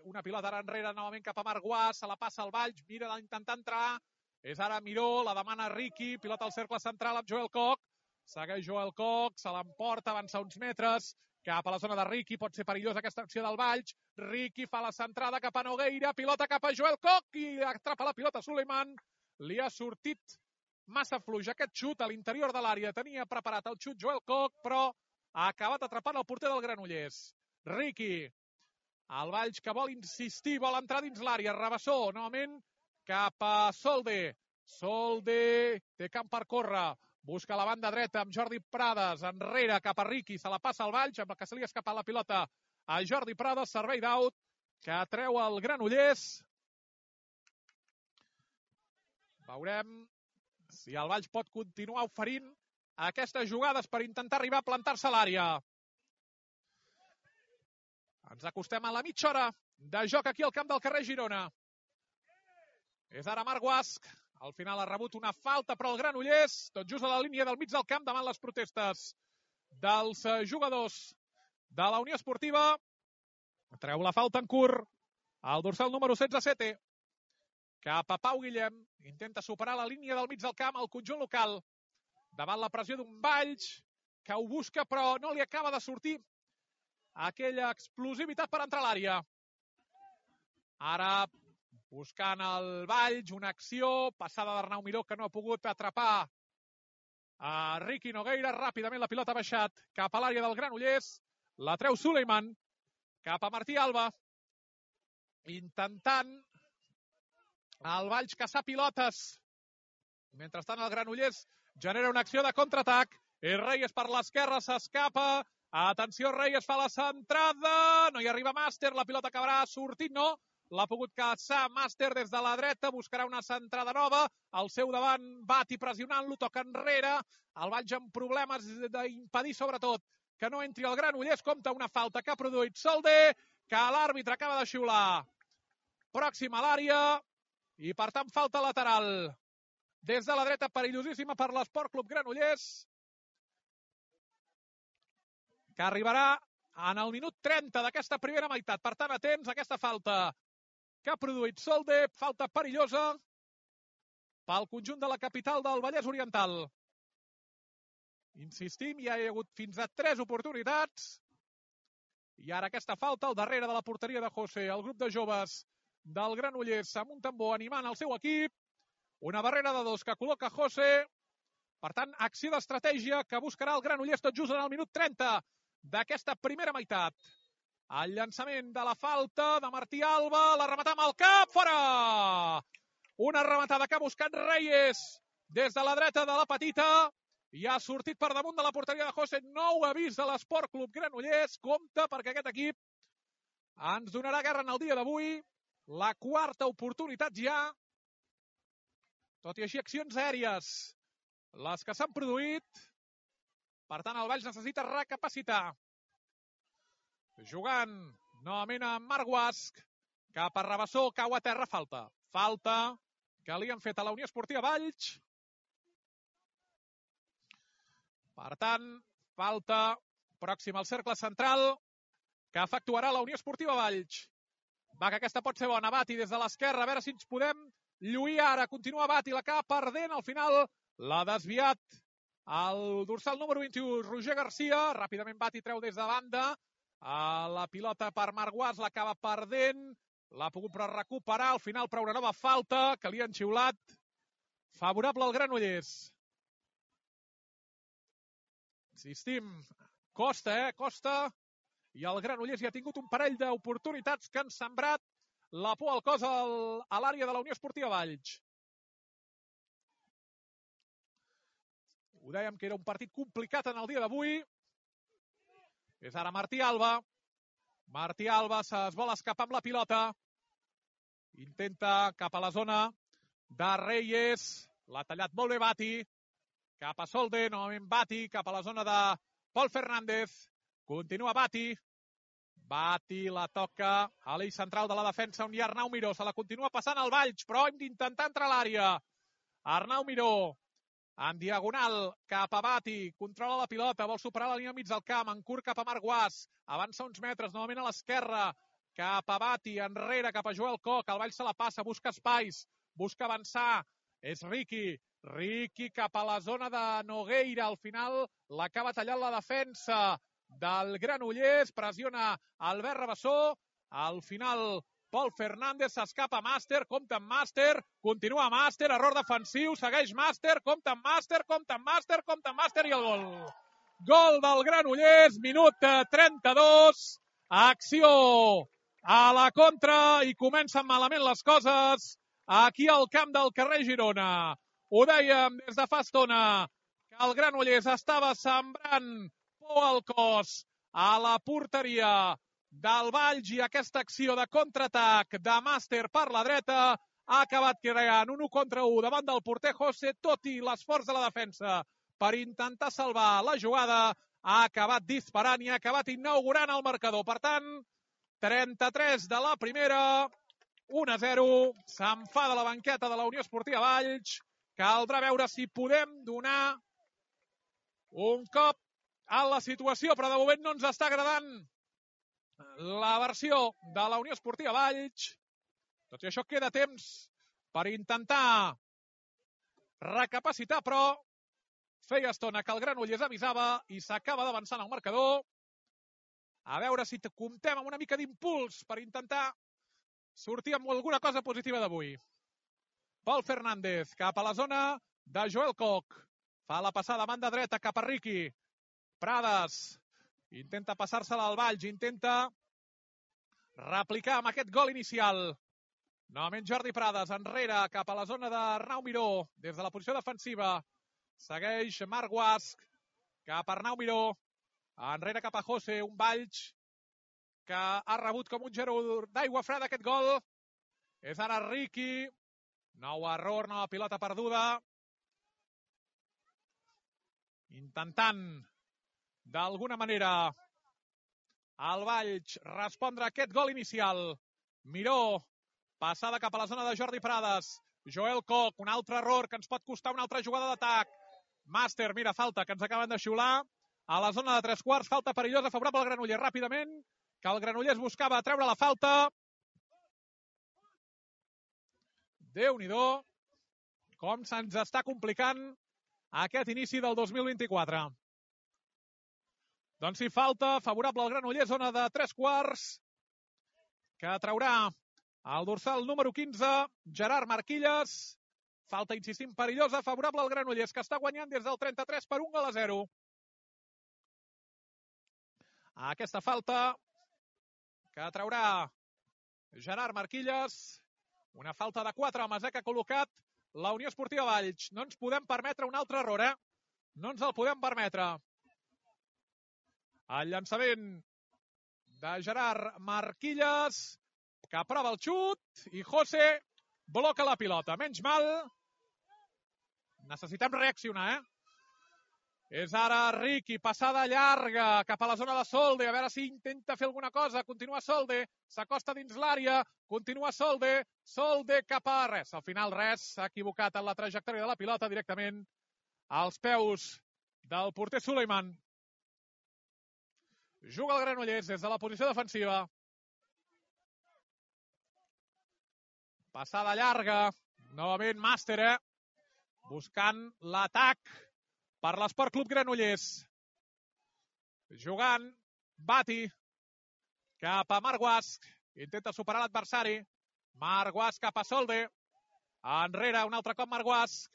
una pilota ara enrere, novament cap a Marc Guas. Se la passa al Valls, mira d'intentar entrar. És ara Miró, la demana Ricky. Pilota al cercle central amb Joel Koch. Segueix Joel Koch, se l'emporta, avança uns metres. Cap a la zona de Ricky, pot ser perillosa aquesta acció del Valls. Ricky fa la centrada cap a Nogueira, pilota cap a Joel Koch i atrapa la pilota Suleiman. Li ha sortit massa fluix aquest xut a l'interior de l'àrea. Tenia preparat el xut Joel Koch, però ha acabat atrapant el porter del Granollers. Ricky, el Valls que vol insistir, vol entrar dins l'àrea. Rabassó, novament cap a Solde. Solde té camp per córrer. Busca la banda dreta amb Jordi Prades, enrere cap a Ricky, se la passa al Valls, amb el que se li ha escapat la pilota a Jordi Prades, servei d'out, que treu el Granollers. Veurem si el Valls pot continuar oferint aquestes jugades per intentar arribar a plantar-se a l'àrea. Ens acostem a la mitja hora de joc aquí al camp del carrer Girona. És ara Marc Guasc. Al final ha rebut una falta, però el Granollers, tot just a la línia del mig del camp, davant les protestes dels jugadors de la Unió Esportiva. Treu la falta en curt. El dorsal número 16, Sete. Cap a Pau Guillem. Intenta superar la línia del mig del camp al conjunt local. Davant la pressió d'un Valls, que ho busca, però no li acaba de sortir aquella explosivitat per entrar a l'àrea. Ara buscant el Valls, una acció, passada d'Arnau Miró, que no ha pogut atrapar a Ricky Nogueira. Ràpidament la pilota ha baixat cap a l'àrea del Granollers. La treu Suleiman cap a Martí Alba. Intentant el Valls caçar pilotes. Mentrestant el Granollers genera una acció de contraatac. Reyes per l'esquerra, s'escapa. Atenció, Reyes fa la centrada. No hi arriba Màster, la pilota acabarà sortint, no. L'ha pogut caçar Màster des de la dreta, buscarà una centrada nova. Al seu davant, Bati pressionant-lo, toca enrere. El Valls amb problemes d'impedir, sobretot, que no entri el Granollers. Compta una falta que ha produït Solde, que l'àrbitre acaba de xiular. Pròxim a l'àrea, i per tant falta lateral. Des de la dreta, perillosíssima per l'Esport Club Granollers, que arribarà en el minut 30 d'aquesta primera meitat. Per tant, atents a aquesta falta que ha produït Solde, falta perillosa pel conjunt de la capital del Vallès Oriental. Insistim, ja hi ha hagut fins a 3 oportunitats. I ara aquesta falta al darrere de la porteria de José. El grup de joves del Granollers amb un tambor animant el seu equip. Una barrera de 2 que col·loca José. Per tant, acció d'estratègia que buscarà el Granollers tot just en el minut 30 d'aquesta primera meitat. El llançament de la falta de Martí Alba, la rematada amb el cap, fora! Una rematada que ha buscat Reyes des de la dreta de la petita. i ha sortit per damunt de la porteria de José. Nou avís de l'Esport Club Granollers. Compte, perquè aquest equip ens donarà guerra en el dia d'avui. La quarta oportunitat ja. Tot i així, accions aèries, les que s'han produït. Per tant, el Valls necessita recapacitar. Jugant novament a Marc Guasch, cap a Rabassó, cau a terra, falta. Falta que li han fet a la Unió Esportiva Valls. Per tant, falta pròxima al cercle central que efectuarà la Unió Esportiva Valls. Va, que aquesta pot ser bona. Bati des de l'esquerra, a veure si ens podem lluir ara. Continua Bati, la acaba perdent. Al final l'ha desviat el dorsal número 21, Roger Garcia. Ràpidament Bati treu des de banda. La pilota per Marc Guasch, l'acaba perdent. L'ha pogut recuperar. Al final, però una nova falta que li han xiulat. Favorable al Granollers. Insistim, costa, costa. I el Granollers ja ha tingut un parell d'oportunitats que han sembrat la por al cos a l'àrea de la Unió Esportiva Valls. Ho dèiem que era un partit complicat en el dia d'avui. És ara Martí Alba. Martí Alba es vol escapar amb la pilota. Intenta cap a la zona de Reyes. L'ha tallat molt bé Bati. Cap a Solde, novament Bati, cap a la zona de Pol Fernández. Continua Bati. Bati la toca a l'eix central de la defensa on hi ha Arnau Miró. Se la continua passant al Valls, però hem d'intentar entrar a l'àrea. Arnau Miró, en diagonal, cap a Bati. Controla la pilota, vol superar la línia mig del camp. En curt cap a Marc Guasch. Avança uns metres, novament a l'esquerra. Cap a Bati, enrere, cap a Joel Koch. El Valls se la passa, busca espais, busca avançar. És Riqui. Riqui cap a la zona de Nogueira. Al final l'acaba tallant la defensa del Granollers. Pressiona Albert Rabassó. Al final Pol Fernández s'escapa Màster. Compte amb Màster. Continua Màster. Error defensiu. Segueix Màster. Compte amb Màster. Compte amb Màster. Compte amb Màster i el gol. Gol del Granollers. Minut 32. Acció a la contra i comencen malament les coses aquí al camp del carrer Girona. Ho dèiem des de fa estona, que el Granollers estava sembrant por al cos a la porteria del Valls i aquesta acció de contraatac de Màster per la dreta ha acabat creant un 1 contra 1 davant del porter José, tot i l'esforç de la defensa per intentar salvar la jugada. Ha acabat disparant i ha acabat inaugurant el marcador. Per tant, 33 de la primera, 1-0. S'enfada la banqueta de la Unió Esportiva Valls. Caldrà veure si podem donar un cop a la situació, però de moment no ens està agradant la versió de la Unió Esportiva Valls. Tot i això queda temps per intentar recapacitar, però feia estona que el Granollers avisava i s'acaba d'avançar en el marcador. A veure si comptem amb una mica d'impuls per intentar sortir amb alguna cosa positiva d'avui. Pol Fernández cap a la zona de Joel Koch. Fa la passada a banda dreta cap a Riqui. Prades intenta passar-se-la al Valls, intenta replicar amb aquest gol inicial. Novament Jordi Prades enrere cap a la zona d'Arnau Miró des de la posició defensiva. Segueix Marc Guasch cap a Arnau Miró. Enrere cap a José, un Valls que ha rebut com un gero d'aigua freda aquest gol. És ara Riqui. Nou error, nova pilota perduda. Intentant, d'alguna manera, el Valls respondre a aquest gol inicial. Miró, passada cap a la zona de Jordi Prades. Joel Koch, un altre error que ens pot costar una altra jugada d'atac. Màster, mira, falta, que ens acaben de xiular. A la zona de 3/4, falta perillosa, favorable al Granollers. Ràpidament, que el Granollers buscava treure la falta. Déu-n'hi-do, com se'ns està complicant aquest inici del 2024. Doncs sí, falta favorable al Granollers, zona de 3/4, que traurà el dorsal número 15, Gerard Marquilles. Falta, insistim, perillosa, favorable al Granollers, que està guanyant des del 33 per 1-0. Aquesta falta que traurà Gerard Marquilles. Una falta de 4 homes que ha col·locat la Unió Esportiva Valls. No ens podem permetre un altre error, No ens el podem permetre. El llançament de Gerard Marquilles, que prova el xut, i José bloca la pilota. Menys mal. Necessitem reaccionar, És ara Riqui, passada llarga cap a la zona de Solde, a veure si intenta fer alguna cosa. Continua Solde, s'acosta dins l'àrea, continua Solde, Solde cap a res. Al final res, s'ha equivocat en la trajectòria de la pilota directament als peus del porter Suleiman. Juga el Granollers des de la posició defensiva. Passada llarga, novament Màster, buscant l'atac per l'Esport Club Granollers. Jugant Bati cap a Marc Guasc. Intenta superar l'adversari. Marc Guasc cap a Solde. Enrere, un altre cop Marc Guasc.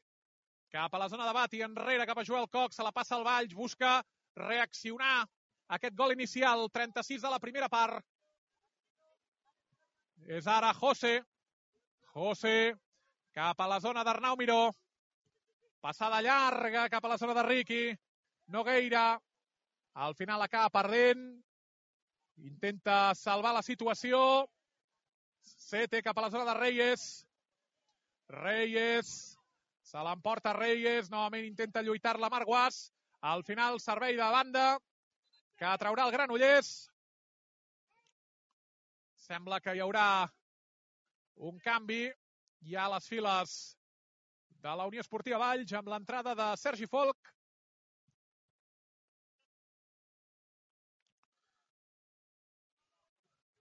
Cap a la zona de Bati. Enrere cap a Joel Coc. Se la passa al Valls. Busca reaccionar aquest gol inicial. 36 de la primera part. És ara José. José cap a la zona d'Arnau Miró. Passada llarga cap a la zona de Riqui. Nogueira. Al final acaba perdent. Intenta salvar la situació. Sete cap a la zona de Reyes. Reyes. Se l'emporta Reyes. Novament intenta lluitar-la Marc Guasc. Al final servei de banda que traurà el Granollers. Sembla que hi haurà un canvi ja a les files de la Unió Esportiva Valls amb l'entrada de Sergi Folch.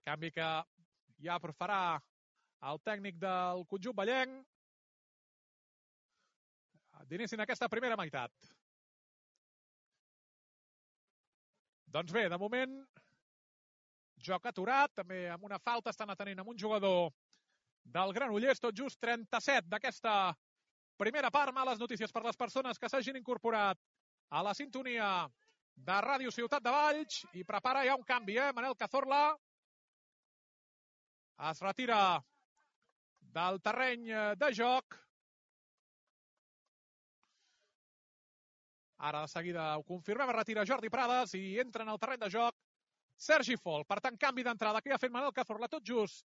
Canvi que ja farà el tècnic del conjunt vallenc d'inici en aquesta primera meitat. Doncs bé, de moment, joc aturat, també amb una falta estan atenent amb un jugador del Granollers, tot just 37 d'aquesta primera part. Males notícies per les persones que s'hagin incorporat a la sintonia de Ràdio Ciutat de Valls i prepara ja un canvi, Manel Cazorla es retira del terreny de joc. Ara de seguida ho confirmem, es retira Jordi Prades i entra en el terreny de joc Sergi Folch. Per tant, canvi d'entrada que ja ha fet Manel Cazorla tot just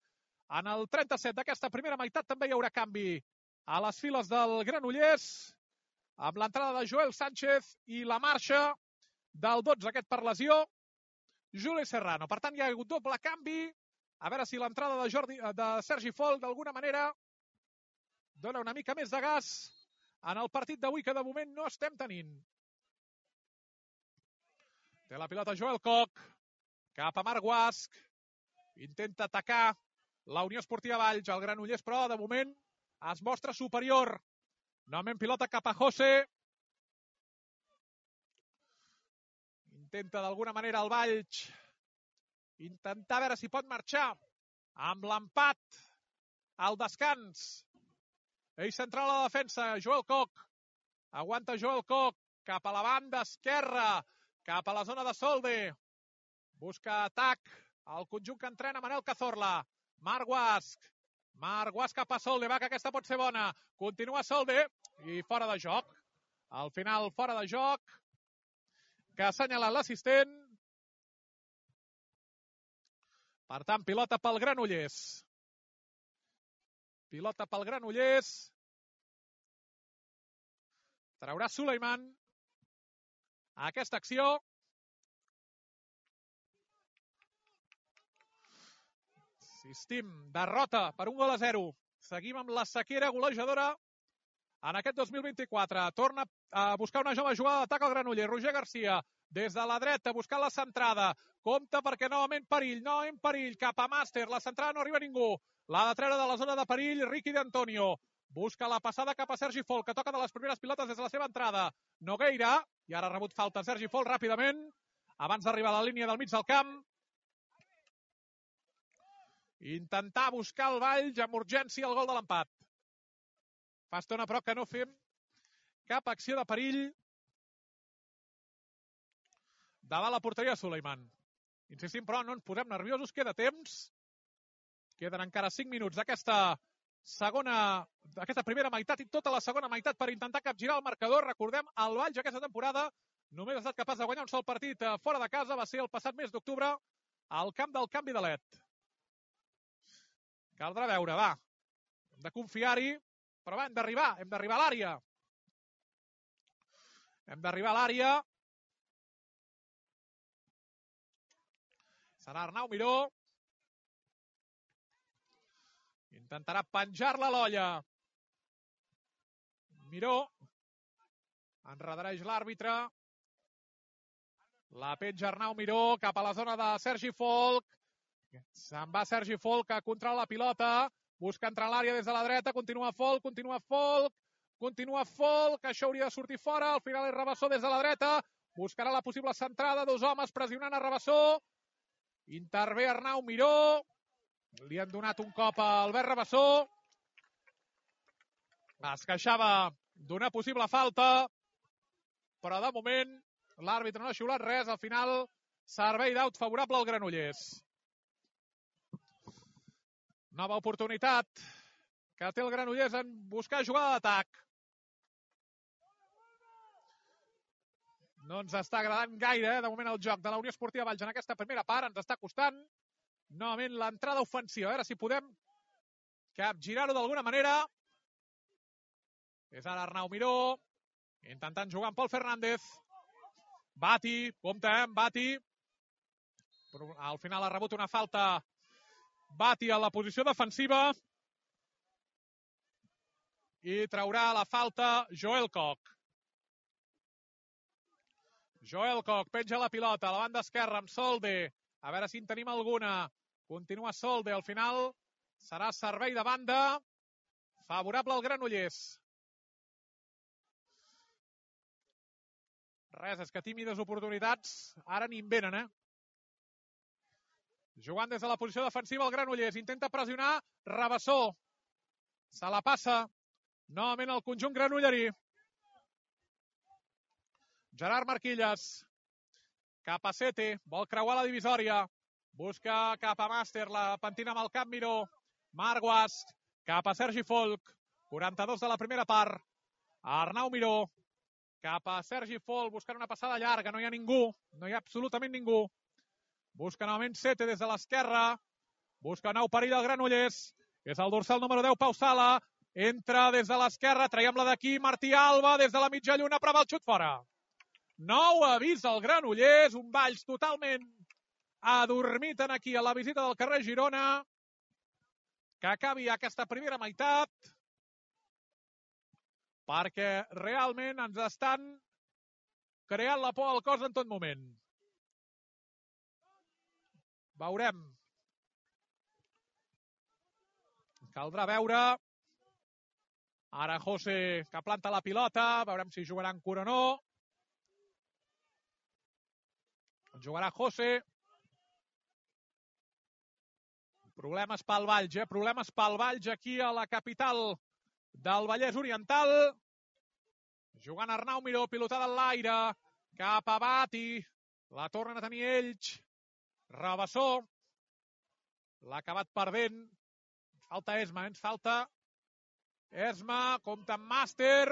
en el 37 d'aquesta primera meitat. També hi haurà canvi a les files del Granollers, amb l'entrada de Joel Sánchez i la marxa del 12, aquest per lesió, Juli Serrano. Per tant, hi ha hagut doble canvi. A veure si l'entrada de Sergi Folch d'alguna manera dona una mica més de gas en el partit d'avui, que de moment no estem tenint. Té la pilota Joel Coc, cap a Marc Guasc. Intenta atacar la Unió Esportiva Valls. El Granollers, però, de moment, es mostra superior. Novament pilota cap a José. Intenta d'alguna manera el Valls intentar veure si pot marxar amb l'empat al descans. Ell central a la defensa, Joel Coc. Aguanta Joel Coc cap a la banda esquerra, cap a la zona de Solde. Busca atac al conjunt que entrena Manel Cazorla. Marc Guasc. Marc Guasc cap a Solde, va, que aquesta pot ser bona. Continua Solde i fora de joc. Al final, fora de joc, que ha assenyalat l'assistent. Per tant, pilota pel Granollers. Pilota pel Granollers. Traurà Suleiman a aquesta acció. Insistim, derrota per 1-0. Seguim amb la sequera golejadora en aquest 2024. Torna a buscar una jove jugada d'atac al Granollers. Roger Garcia, des de la dreta, buscant la centrada. Compte perquè novament perill, cap a Màster. La centrada no arriba a ningú. L'ha de treure de la zona de perill Riqui d'Antonio. Busca la passada cap a Sergi Folch, que toca de les primeres pilotes des de la seva entrada. Nogueira, i ara ha rebut falta Sergi Folch ràpidament, abans d'arribar a la línia del mig del camp. Intentar buscar el Valls amb urgència el gol de l'empat. Fa estona, però, que no fem cap acció de perill davant la porteria de Suleiman. Insistim, però, no ens posem nerviosos, queda temps. Queden encara 5 minuts d'aquesta aquesta primera meitat i tota la segona meitat per intentar capgirar el marcador. Recordem, el Valls aquesta temporada només ha estat capaç de guanyar un sol partit fora de casa, va ser el passat mes d'octubre al camp del Canvi de Let. Caldrà veure, va, hem de confiar-hi, però va, hem d'arribar a l'àrea. Hem d'arribar a l'àrea. Serà Arnau Miró. Intentarà penjar-la a l'olla. Miró. Enredareix l'àrbitre. La penja Arnau Miró cap a la zona de Sergi Folch. Se'n va Sergi Folch a controlar la pilota. Busca entrar a l'àrea des de la dreta. Continua Folch. Això hauria de sortir fora. Al final és Rabassó des de la dreta. Buscarà la possible centrada. 2 homes pressionant a Rabassó. Intervé Arnau Miró. Li han donat un cop a Albert Rabassó. Es queixava d'una possible falta, però de moment l'àrbitre no ha xiulat res. Al final, servei d'aut favorable al Granollers. Nova oportunitat que té el Granollers en buscar jugada d'atac. No ens està agradant gaire, de moment, el joc de la Unió Esportiva Valls en aquesta primera part. Ens està costant novament l'entrada ofensiva. A veure si podem capgirar-ho d'alguna manera. És ara Arnau Miró, intentant jugar amb Pol Fernández. Bati, compte amb Bati. Però al final ha rebut una falta Bati a la posició defensiva. I traurà la falta Joel Koch. Joel Koch penja la pilota a la banda esquerra amb Solde. A veure si en tenim alguna. Continua Solde. Al final serà servei de banda favorable al Granollers. Res, és que tímides oportunitats ara n'hi venen, Jugant des de la posició defensiva el Granollers. Intenta pressionar Rabassó. Se la passa novament el conjunt granollerí. Gerard Marquilles. Cap a Sete. Vol creuar la divisòria. Busca cap a Màster. La pentina amb el cap Miró. Marguas. Cap a Sergi Folch. 42 de la primera part. Arnau Miró. Cap a Sergi Folch. Buscant una passada llarga. No hi ha ningú. No hi ha absolutament ningú. Busca novament Sete des de l'esquerra. Busca nou perill al Granollers. És el dorsal número 10, Pau Sala. Entra des de l'esquerra. Traiem-la d'aquí. Martí Alba des de la mitja lluna. Però va el xut fora. Nou avís al Granollers. Un Valls totalment adormit aquí a la visita del carrer Girona. Que acabi aquesta primera meitat. Perquè realment ens estan creant la por al cos en tot moment. Veurem. Caldrà veure. Ara José que planta la pilota. Veurem si jugaran cura o no. Jugarà José. Problemes pel Valls, Problemes pel Valls aquí a la capital del Vallès Oriental. Jugant Arnau Miró, pilotada en l'aire. Cap a Bati. La tornen a tenir ells. Rabassó. L'ha acabat perdent. Falta Esma, ens falta Esma. Compta amb Màster.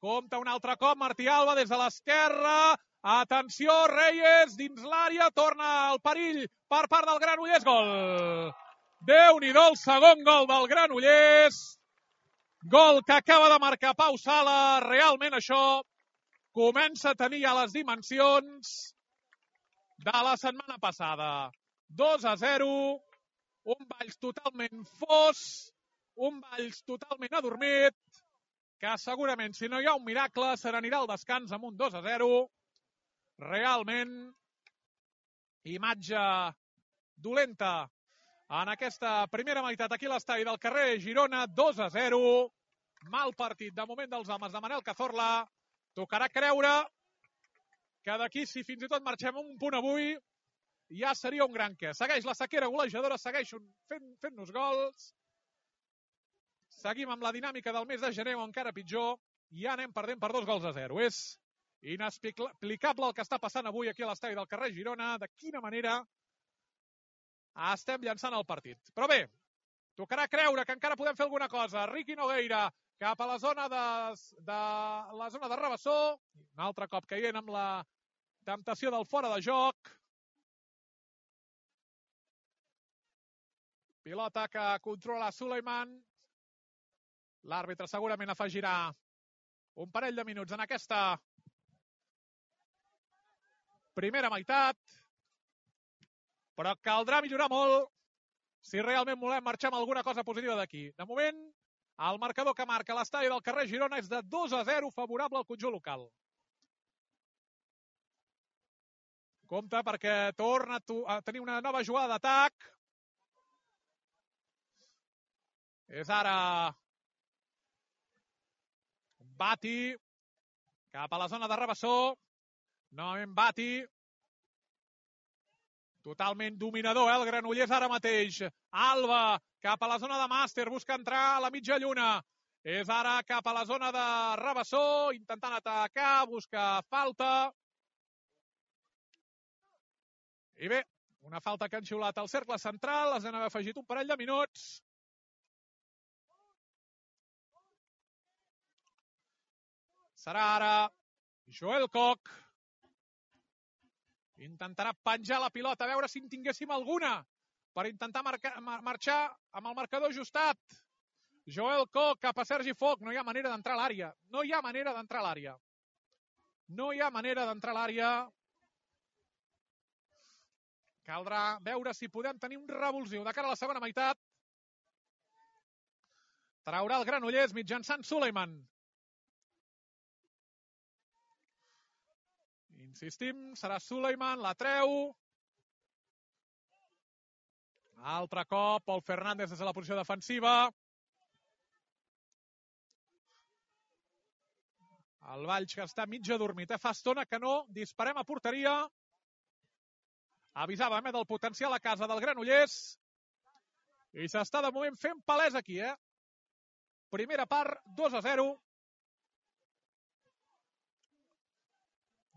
Compta un altre cop. Martí Alba des de l'esquerra. Atenció, Reyes dins l'àrea. Torna el perill per part del Granollers. Gol. Déu-n'hi-do el segon gol del Granollers. Gol que acaba de marcar Pau Sala. Realment això comença a tenir ja les dimensions de la setmana passada. 2-0. Un Valls totalment fos. Un Valls totalment adormit. Que segurament, si no hi ha un miracle, se n'anirà al descans amb un 2-0. Realment, imatge dolenta en aquesta primera meitat aquí a l'estadi del carrer Girona. 2-0. Mal partit de moment dels homes de Manel Cazorla. Tocarà creure que d'aquí, si fins i tot marxem un punt avui, ja seria un gran què. Segueix la sequera golejadora, segueix fent-nos gols. Seguim amb la dinàmica del mes de gener, o encara pitjor, ja anem perdent per 2-0. És inexplicable el que està passant avui aquí a l'estadi del carrer Girona. De quina manera estem llançant el partit. Però bé, Tocarà creure que encara podem fer alguna cosa. Riqui Nogueira cap a la zona de Rabassó. Un altre cop caient amb la temptació del fora de joc. Pilota que controla Suleiman. L'àrbitre segurament afegirà un parell de minuts en aquesta primera meitat. Però caldrà millorar molt si realment volem marxar amb alguna cosa positiva d'aquí. De moment, el marcador que marca l'estadi del carrer Girona és de 2-0 favorable al conjunt local. Compte perquè torna a tenir una nova jugada d'atac. És ara Bati cap a la zona de Rabassó. Novament Bati. Totalment dominador, el Granollers ara mateix. Alba cap a la zona de Màster, busca entrar a la mitja lluna. És ara cap a la zona de Rabassó, intentant atacar, busca falta. I bé, una falta que han xiulat al cercle central, les han afegit un parell de minuts. Serà ara Joel Koch. Intentarà penjar la pilota, a veure si en tinguéssim alguna per intentar marxar amb el marcador ajustat. Joel Koch cap a Sergi Foch. No hi ha manera d'entrar a l'àrea. No hi ha manera d'entrar a l'àrea. No hi ha manera d'entrar a l'àrea. Caldrà veure si podem tenir un revulsiu de cara a la segona meitat. Traurà el Granollers mitjançant Suleiman. Insistim, serà Suleiman, la treu. Altre cop, Pol Fernández des de la posició defensiva. El Valls que està mig adormit. Fa estona que no disparem a porteria. Avisàvem del potencial a casa del Granollers. I s'està de moment fent palès aquí, Primera part, 2-0.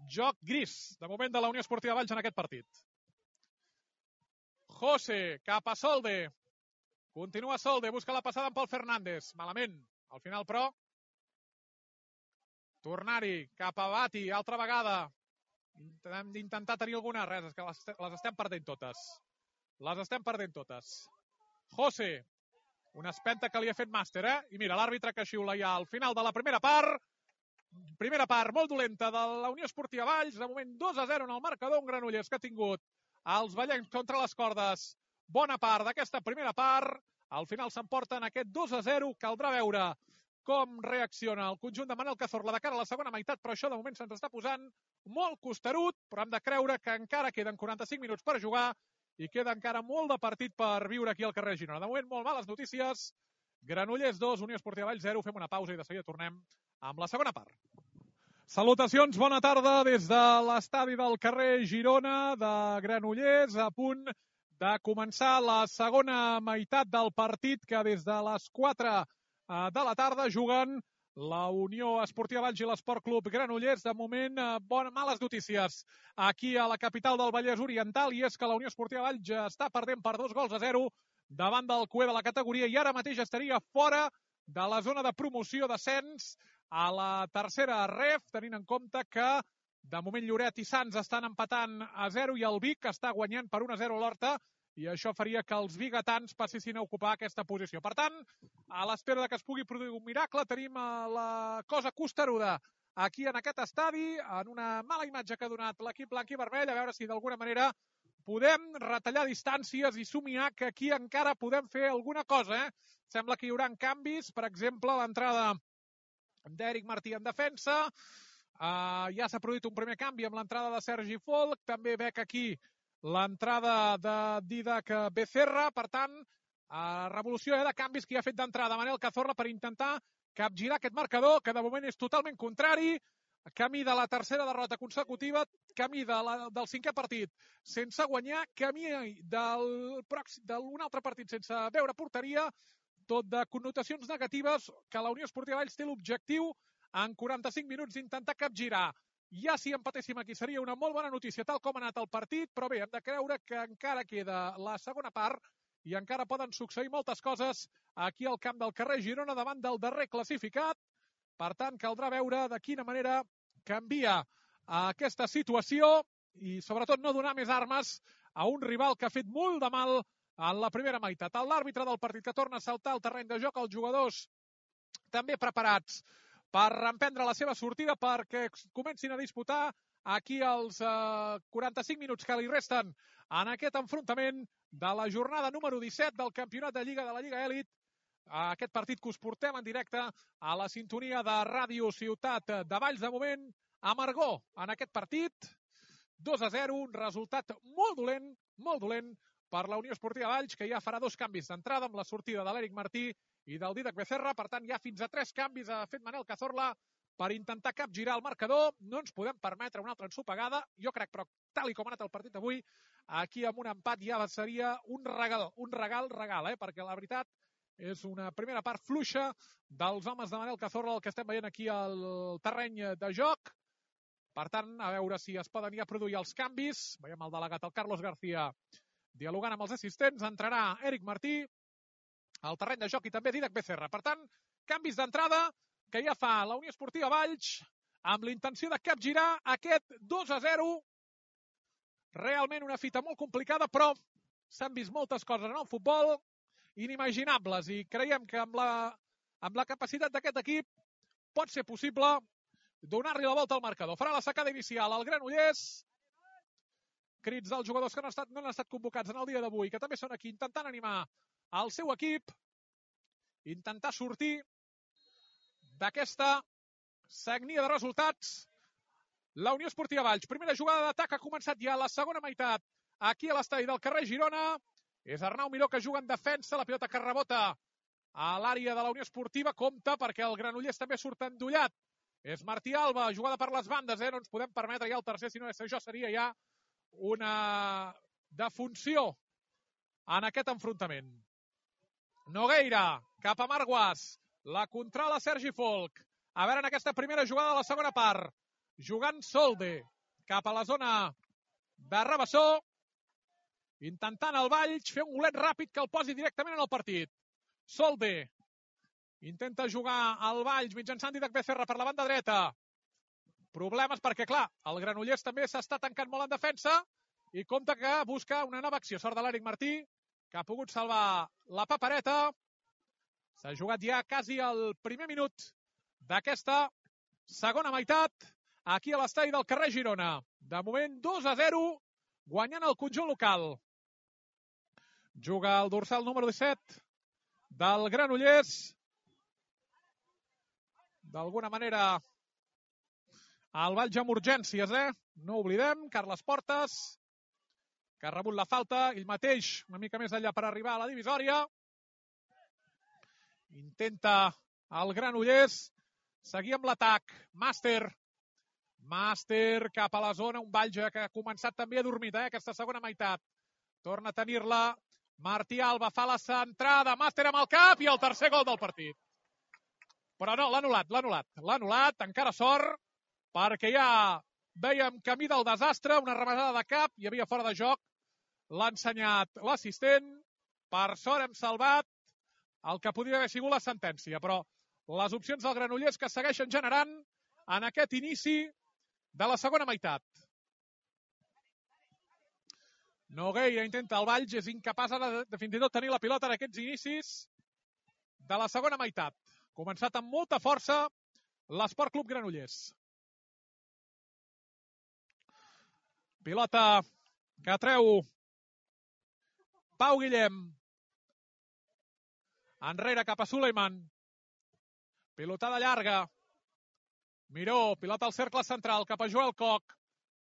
Joc gris, de moment, de la Unió Esportiva Valls en aquest partit. José, cap a Solde. Continua Solde, busca la passada amb Pol Fernández. Malament, al final, però. Tornar-hi, cap a Bati, altra vegada. Hem d'intentar tenir alguna. Res, és que les estem perdent totes. Les estem perdent totes. José, una espenta que li ha fet Màster, I mira, l'àrbitre que xiula ja al final de la primera part. Primera part molt dolenta de la Unió Esportiva Valls. De moment 2-0 en el marcador. Un Granollers que ha tingut els ballencs contra les cordes bona part d'aquesta primera part. Al final s'emporten aquest 2-0. Caldrà veure com reacciona el conjunt de Manel Cazorla de cara a la segona meitat, però això de moment se'ns està posant molt costerut, però hem de creure que encara queden 45 minuts per jugar i queda encara molt de partit per viure aquí al carrer Girona. De moment, molt males notícies. Granollers 2, Unió Esportiva Valls 0. Fem una pausa i de seguida tornem amb la segona part. Salutacions, bona tarda des de l'estadi del carrer Girona de Granollers, a punt de començar la segona meitat del partit que des de les 4 de la tarda juguen la Unió Esportiva Valls i l'Esport Club Granollers. De moment, males notícies aquí a la capital del Vallès Oriental, i és que la Unió Esportiva Valls ja està perdent per 2-0 davant del cué de la categoria i ara mateix estaria fora de la zona de promoció d'ascens a la tercera ref, tenint en compte que de moment Lloret i Sants estan empatant a 0 i el Vic està guanyant per 1-0 a l'Horta, i això faria que els biguetans passessin a ocupar aquesta posició. Per tant, a l'espera que es pugui produir un miracle, tenim la cosa costeruda aquí en aquest estadi, en una mala imatge que ha donat l'equip blanc i vermell, a veure si d'alguna manera podem retallar distàncies i somiar que aquí encara podem fer alguna cosa. Sembla que hi haurà canvis, per exemple, l'entrada d'Eric Martí en defensa, ja s'ha produït un primer canvi amb l'entrada de Sergi Folch, també veig aquí l'entrada de Didac Becerra. Per tant, revolució de canvis que ha fet d'entrada Manel Cazorla per intentar capgirar aquest marcador, que de moment és totalment contrari, camí de la tercera derrota consecutiva, camí del cinquè partit sense guanyar, camí d'un altre partit sense veure porteria, tot de connotacions negatives que la Unió Esportiva Valls té l'objectiu en 45 minuts d'intentar capgirar. Ja si empatéssim aquí seria una molt bona notícia tal com ha anat el partit, però bé, hem de creure que encara queda la segona part i encara poden succeir moltes coses aquí al camp del carrer Girona davant del darrer classificat. Per tant, caldrà veure de quina manera canvia aquesta situació i sobretot no donar més armes a un rival que ha fet molt de mal en la primera meitat. L'àrbitre del partit que torna a saltar al terreny de joc, els jugadors també preparats per emprendre la seva sortida perquè comencin a disputar aquí els 45 minuts que li resten en aquest enfrontament de la jornada número 17 del campionat de Lliga de la Lliga Elit. Aquest partit que us portem en directe a la sintonia de Ràdio Ciutat de Valls. De moment, amargor en aquest partit. 2-0, un resultat molt dolent per la Unió Esportiva Valls, que ja farà 2 canvis d'entrada amb la sortida de l'Eric Martí i del Dídac Becerra. Per tant, ja fins a 3 canvis ha fet Manel Cazorla per intentar capgirar el marcador. No ens podem permetre una altra ensopegada. Jo crec, però, tal com ha anat el partit avui, aquí amb un empat ja seria un regal, perquè la veritat és una primera part fluixa dels homes de Manel Cazorla, el que estem veient aquí al terreny de joc. Per tant, a veure si es poden ja produir els canvis. Veiem el delegat, el Carlos García, dialogant amb els assistents. Entrarà Eric Martí al terreny de joc i també Dídac Becerra. Per tant, canvis d'entrada que ja fa la Unió Esportiva Valls amb la intenció de capgirar aquest 2-0. Realment una fita molt complicada, però s'han vist moltes coses en el futbol inimaginables i creiem que amb la capacitat d'aquest equip pot ser possible donar-li la volta al marcador. Farà la sacada inicial al Granollers. Crits dels jugadors que no han estat convocats en el dia d'avui, que també són aquí intentant animar el seu equip, intentar sortir d'aquesta sagnia de resultats. La Unió Esportiva Valls, primera jugada d'atac, ha començat ja la segona meitat aquí a l'estadi del carrer Girona. És Arnau Miró que juga en defensa, la pilota que rebota a l'àrea de la Unió Esportiva. Compte perquè el Granollers també surt endollat. És Martí Alba, jugada per les bandes, no ens podem permetre ja el tercer, sinó que això seria ja una defunció en aquest enfrontament. Nogueira, cap a Marguas, la controla Sergi Folk. A veure en aquesta primera jugada de la segona part, jugant Solde, cap a la zona de Rabassó, intentant el Valls fer un golet ràpid que el posi directament en el partit. Solde intenta jugar al Valls mitjançant Dídac Becerra per la banda dreta. Problemes perquè, clar, el Granollers també s'està tancant molt en defensa i compta que busca una nova acció. Sort de l'Eric Martí, que ha pogut salvar la papereta. S'ha jugat ja quasi el primer minut d'aquesta segona meitat aquí a l'estadi del carrer Girona. De moment 2-0, guanyant el conjunt local. Juga el dorsal número 17 del Granollers. D'alguna manera, el Valls amb urgències, No oblidem, Carles Portes, que ha rebut la falta, ell mateix una mica més enllà per arribar a la divisòria. Intenta el Granollers seguir amb l'atac. Màster cap a la zona, un Valls que ha començat també adormit, aquesta segona meitat. Torna a tenir-la, Martí Alba fa la centrada, Màster amb el cap i el tercer gol del partit. Però no, l'ha anul·lat, encara sort, perquè ja vèiem camí del desastre, una rematada de cap, hi havia fora de joc, l'ha ensenyat l'assistent, per sort hem salvat el que podria haver sigut la sentència, però les opcions del Granollers que segueixen generant en aquest inici de la segona meitat. Nogueira intenta el Valls, és incapaç de fins i tot tenir la pilota en aquests inicis de la segona meitat. Començat amb molta força l'Esport Club Granollers. Pilota que treu Pau Guillem. Enrere cap a Suleiman. Pilotada llarga. Miró, pilota al cercle central cap a Joel Coc.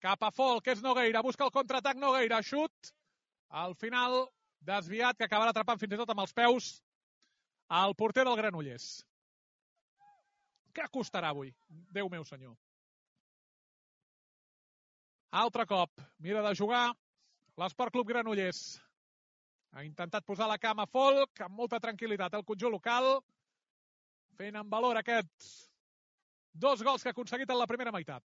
Cap a Folk, és Nogueira. Busca el contraatac Nogueira. Xut. Al final, desviat, que acabarà atrapant fins i tot amb els peus el porter del Granollers. Què costarà avui? Déu meu senyor. Altre cop. Mira de jugar l'Esport Club Granollers. Ha intentat posar la cama Folk amb molta tranquil·litat el conjunt local, fent en valor aquests 2 gols que ha aconseguit en la primera meitat.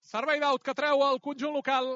Servei d'aut que treu el conjunt local.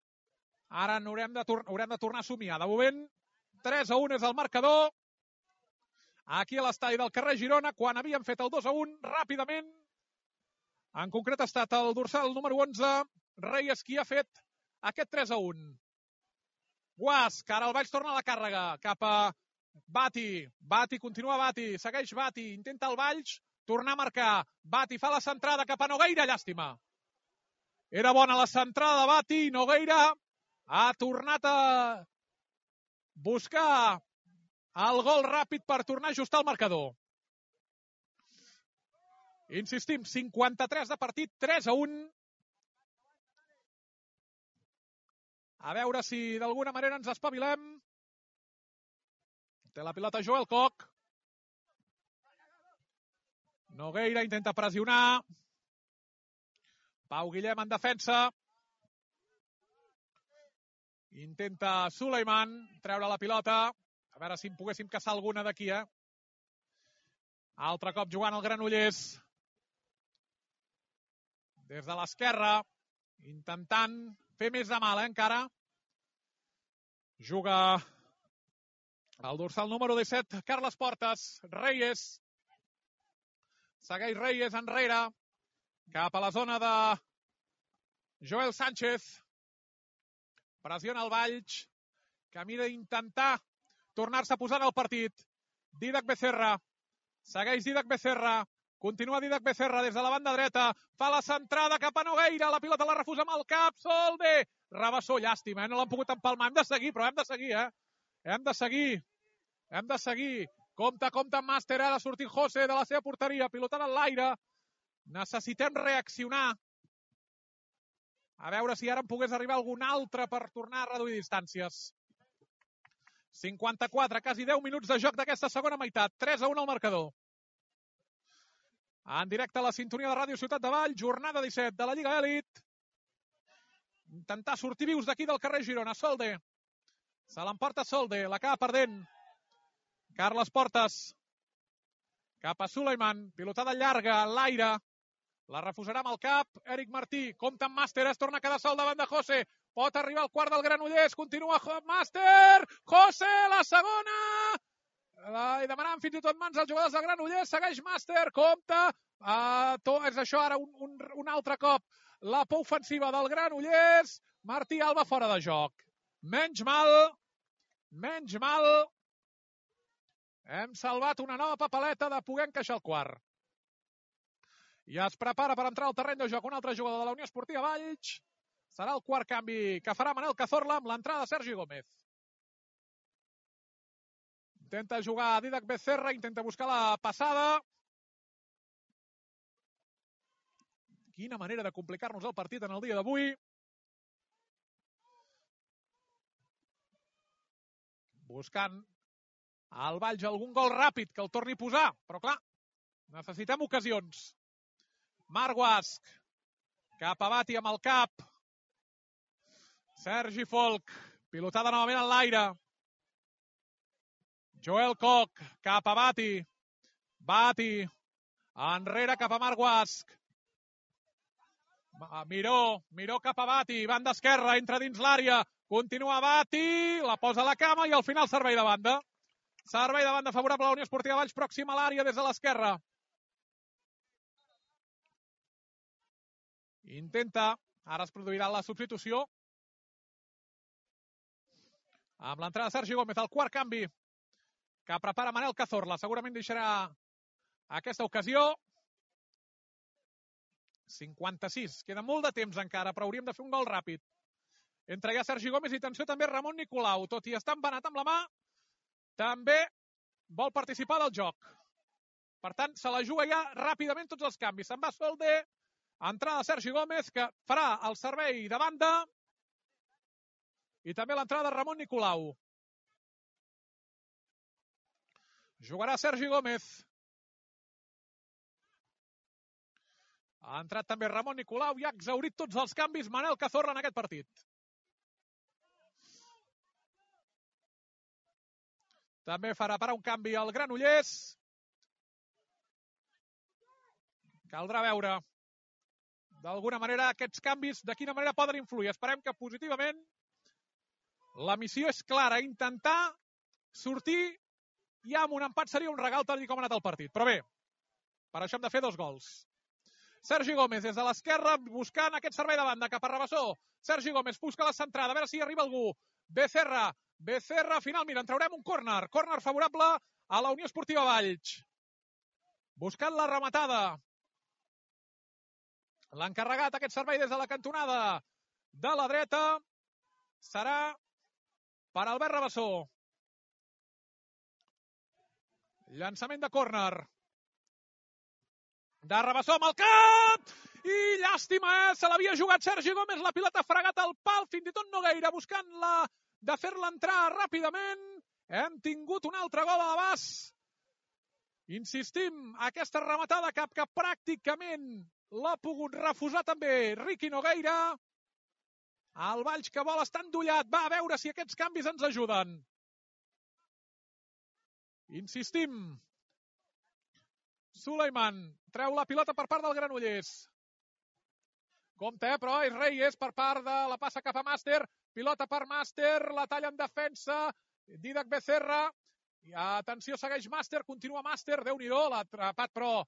Ara haurem de tornar a somiar. De moment, 3-1 és el marcador. Aquí a l'estadi del carrer Girona, quan havíem fet el 2-1, ràpidament. En concret ha estat el dorsal número 11, Reyes, qui ha fet aquest 3-1. Guas, que ara el Valls torna a la càrrega, cap a Bati. Bati, continua Bati, segueix Bati, intenta el Valls tornar a marcar. Bati fa la centrada cap a Nogueira, llàstima. Era bona la centrada de Bati, Nogueira ha tornat a buscar el gol ràpid per tornar a ajustar el marcador. Insistim, 53 de partit, 3-1. A veure si d'alguna manera ens espavilem. Té la pilota Joel Koch. Nogueira intenta pressionar. Pau Guillem en defensa. Intenta Suleiman treure la pilota. A veure si en poguéssim caçar alguna d'aquí, Altre cop jugant el Granollers. Des de l'esquerra, intentant fer més de mal, encara. Juga el dorsal número 17, Carles Portes. Reyes. Segueix Reyes enrere. Cap a la zona de Joel Sánchez. Pressiona el Valls. Que mira d'intentar tornar-se a posar en el partit. Didac Becerra. Segueix Didac Becerra. Continua Didac Becerra des de la banda dreta. Fa la centrada cap a Nogueira. La pilota la refusa amb el cap. Solde. Rabassó, llàstima, No l'han pogut empalmar. Hem de seguir, però hem de seguir, Hem de seguir. Hem de seguir. Compte amb Màster. Ha de sortir José de la seva porteria. Pilotada en l'aire. Necessitem reaccionar. A veure si ara en pogués arribar algun altre per tornar a reduir distàncies. 54, quasi 10 minuts de joc d'aquesta segona meitat. 3-1 al marcador. En directe a la sintonia de Ràdio Ciutat de Valls, jornada 17 de la Lliga Elit. Intentar sortir vius d'aquí del carrer Girona. Solde. Se l'emporta Solde, l'acaba perdent. Carles Portes. Cap a Suleiman. Pilotada llarga, en l'aire. La refusarà amb el cap. Eric Martí. Compte amb Màster. Es torna a quedar sol davant de José. Pot arribar al quart del Granollers. Continua Màster. José, la segona. I demanant fins i tot mans als jugadors del Granollers. Segueix Màster. Compte. És això ara un altre cop. La por ofensiva del Granollers. Martí Alba fora de joc. Menys mal. Hem salvat una nova papeleta de poder encaixar el quart. I es prepara per entrar al terreny de joc un altre jugador de la Unió Esportiva Valls. Serà el quart canvi que farà Manel Cazorla amb l'entrada de Sergi Gómez. Intenta jugar Didac Becerra, intenta buscar la passada. Quina manera de complicar-nos el partit en el dia d'avui. Buscant al Valls algun gol ràpid que el torni a posar. Però clar, necessitem ocasions. Marc Guasc. Cap a Bati amb el cap. Sergi Folch. Pilotada novament en l'aire. Joel Koch. Cap a Bati. Bati. Enrere cap a Marc Guasc. Miró cap a Bati. Banda esquerra. Entra dins l'àrea. Continua Bati. La posa a la cama i al final servei de banda. Servei de banda favorable a la Unió Esportiva Valls. Pròxim a l'àrea des de l'esquerra. Intenta. Ara es produirà la substitució. Amb l'entrada de Sergi Gómez, el quart canvi que prepara Manel Cazorla. Segurament deixarà aquesta ocasió. 56. Queda molt de temps encara, però hauríem de fer un gol ràpid. Entra ja Sergi Gómez i atenció també Ramon Nicolau. Tot i estar embanat amb la mà, també vol participar del joc. Per tant, se la juga ja ràpidament tots els canvis. Se'n va Solde, entrada de Sergi Gómez, que farà el servei de banda, i també l'entrada de Ramon Nicolau. Jugarà Sergi Gómez. Ha entrat també Ramon Nicolau i ha exhaurit tots els canvis Manel Cazorla en aquest partit. També farà parar un canvi al Granollers. Caldrà veure d'alguna manera aquests canvis de quina manera poden influir. Esperem que positivament, La missió és clara, intentar sortir i amb un empat seria un regal tal com ha anat el partit. Però bé, per això hem de fer 2 gols. Sergi Gómez des de l'esquerra buscant aquest servei de banda cap a Rabassó. Sergi Gómez busca la centrada, a veure si hi arriba algú. Becerra, final, mira, en traurem un córner. Córner favorable a la Unió Esportiva Valls. Buscant la rematada. L'ha encarregat aquest servei des de la cantonada de la dreta. Serà per Albert Rabassó. Llançament de córner. De Rabassó amb el cap! I llàstima, se l'havia jugat Sergi Gómez, la pilota ha fregat al pal, fins i tot Nogueira buscant-la de fer-la entrar ràpidament. Hem tingut un altre gol a l'abast. Insistim, aquesta rematada que pràcticament l'ha pogut refusar també Riqui Nogueira. El Valls que vol estar endollat, va a veure si aquests canvis ens ajuden. Insistim. Suleiman treu la pilota per part del Granollers. Compte, però és Reyes per part de la passa cap a Màster. Pilota per Màster, la talla en defensa. Dídac Becerra. I atenció, segueix Màster, continua Màster. Déu-n'hi-do, l'ha atrapat, però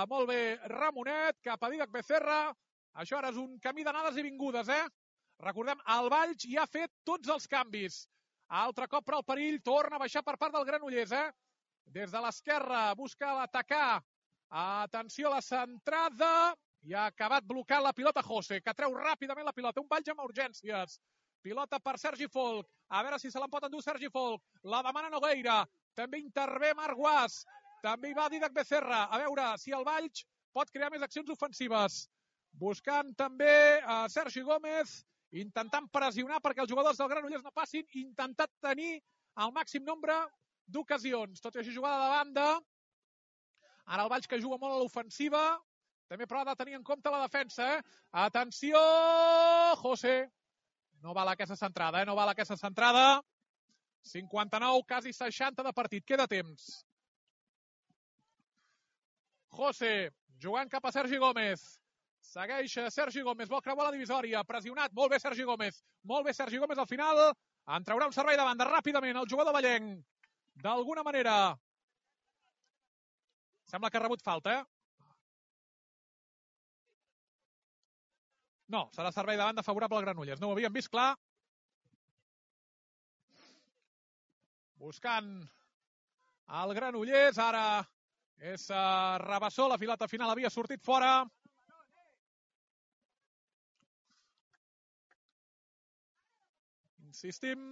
molt bé Ramonet, cap a Dídac Becerra. Això ara és un camí d'anades i vingudes, Recordem, el Valls ja ha fet tots els canvis. Altre cop, però el perill torna a baixar per part del Granollers, Des de l'esquerra busca l'atacar. Atenció a la centrada. I ha acabat blocant la pilota José, que treu ràpidament la pilota. Un Valls amb urgències. Pilota per Sergi Folk. A veure si se l'en pot endur Sergi Folk. La demana Nogueira. També intervé Marc Guas. També hi va Dídac Becerra. A veure si el Valls pot crear més accions ofensives. Buscant també a Sergi Gómez. Intentant pressionar perquè els jugadors del Granollers no passin. Intentant tenir el màxim nombre d'ocasions. Tot i així, jugada de banda. Ara el Valls que juga molt a l'ofensiva. També però ha de tenir en compte la defensa, Atenció! José. No val aquesta centrada, No val aquesta centrada. 59, quasi 60 de partit. Queda temps. José, jugant cap a Sergi Gómez. Segueix Sergi Gómez, vol creuar la divisòria. Pressionat, molt bé Sergi Gómez. Molt bé Sergi Gómez al final. En traurà un servei de banda ràpidament el jugador vallenc. D'alguna manera. Sembla que ha rebut falta, No, serà servei de banda favorable al Granollers. No ho havíem vist clar. Buscant el Granollers. Ara és Rabassó. La pilota final havia sortit fora. Insistim.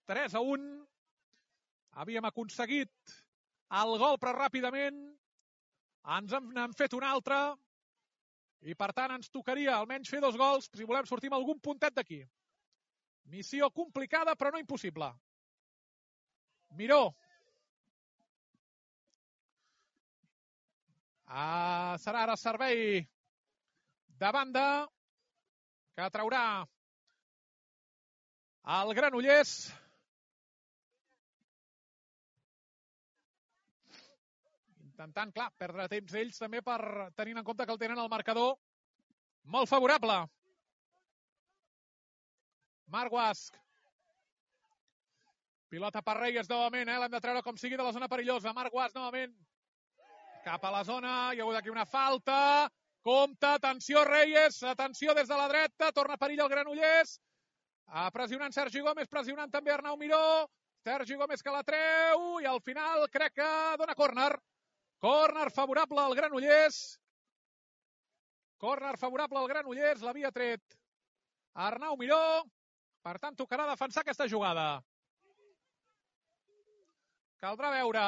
3-1. Havíem aconseguit el gol, però ràpidament ens n'han fet un altre. I, per tant, ens tocaria almenys fer 2 gols si volem sortir amb algun puntet d'aquí. Missió complicada, però no impossible. Miró. Serà ara servei de banda que traurà el Granollers. Intentant, clar, perdre temps ells també per tenint en compte que el tenen el marcador molt favorable. Marc Guasc. Pilota per Reyes novament, l'hem de treure com sigui de la zona perillosa. Marc Guasc novament cap a la zona, hi ha hagut aquí una falta. Compte, atenció Reyes, atenció des de la dreta, torna perill el Granollers. Pressionant Sergi Gómez, pressionant també Arnau Miró. Sergi Gómez que la treu i al final crec que dona córner. Córner favorable al Granollers. Córner favorable al Granollers. L'havia tret Arnau Miró. Per tant, tocarà defensar aquesta jugada. Caldrà veure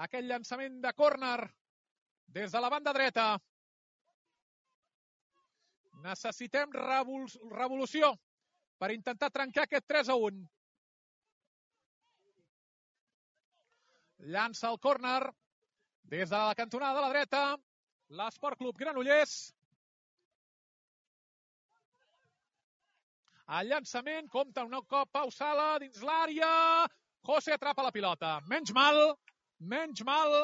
aquest llançament de córner des de la banda dreta. Necessitem revolució per intentar trencar aquest 3-1. Llança el córner des de la cantonada de la dreta. L'Esport Club Granollers. El llançament, compta un cop Pau Sala dins l'àrea. José atrapa la pilota. Menys mal.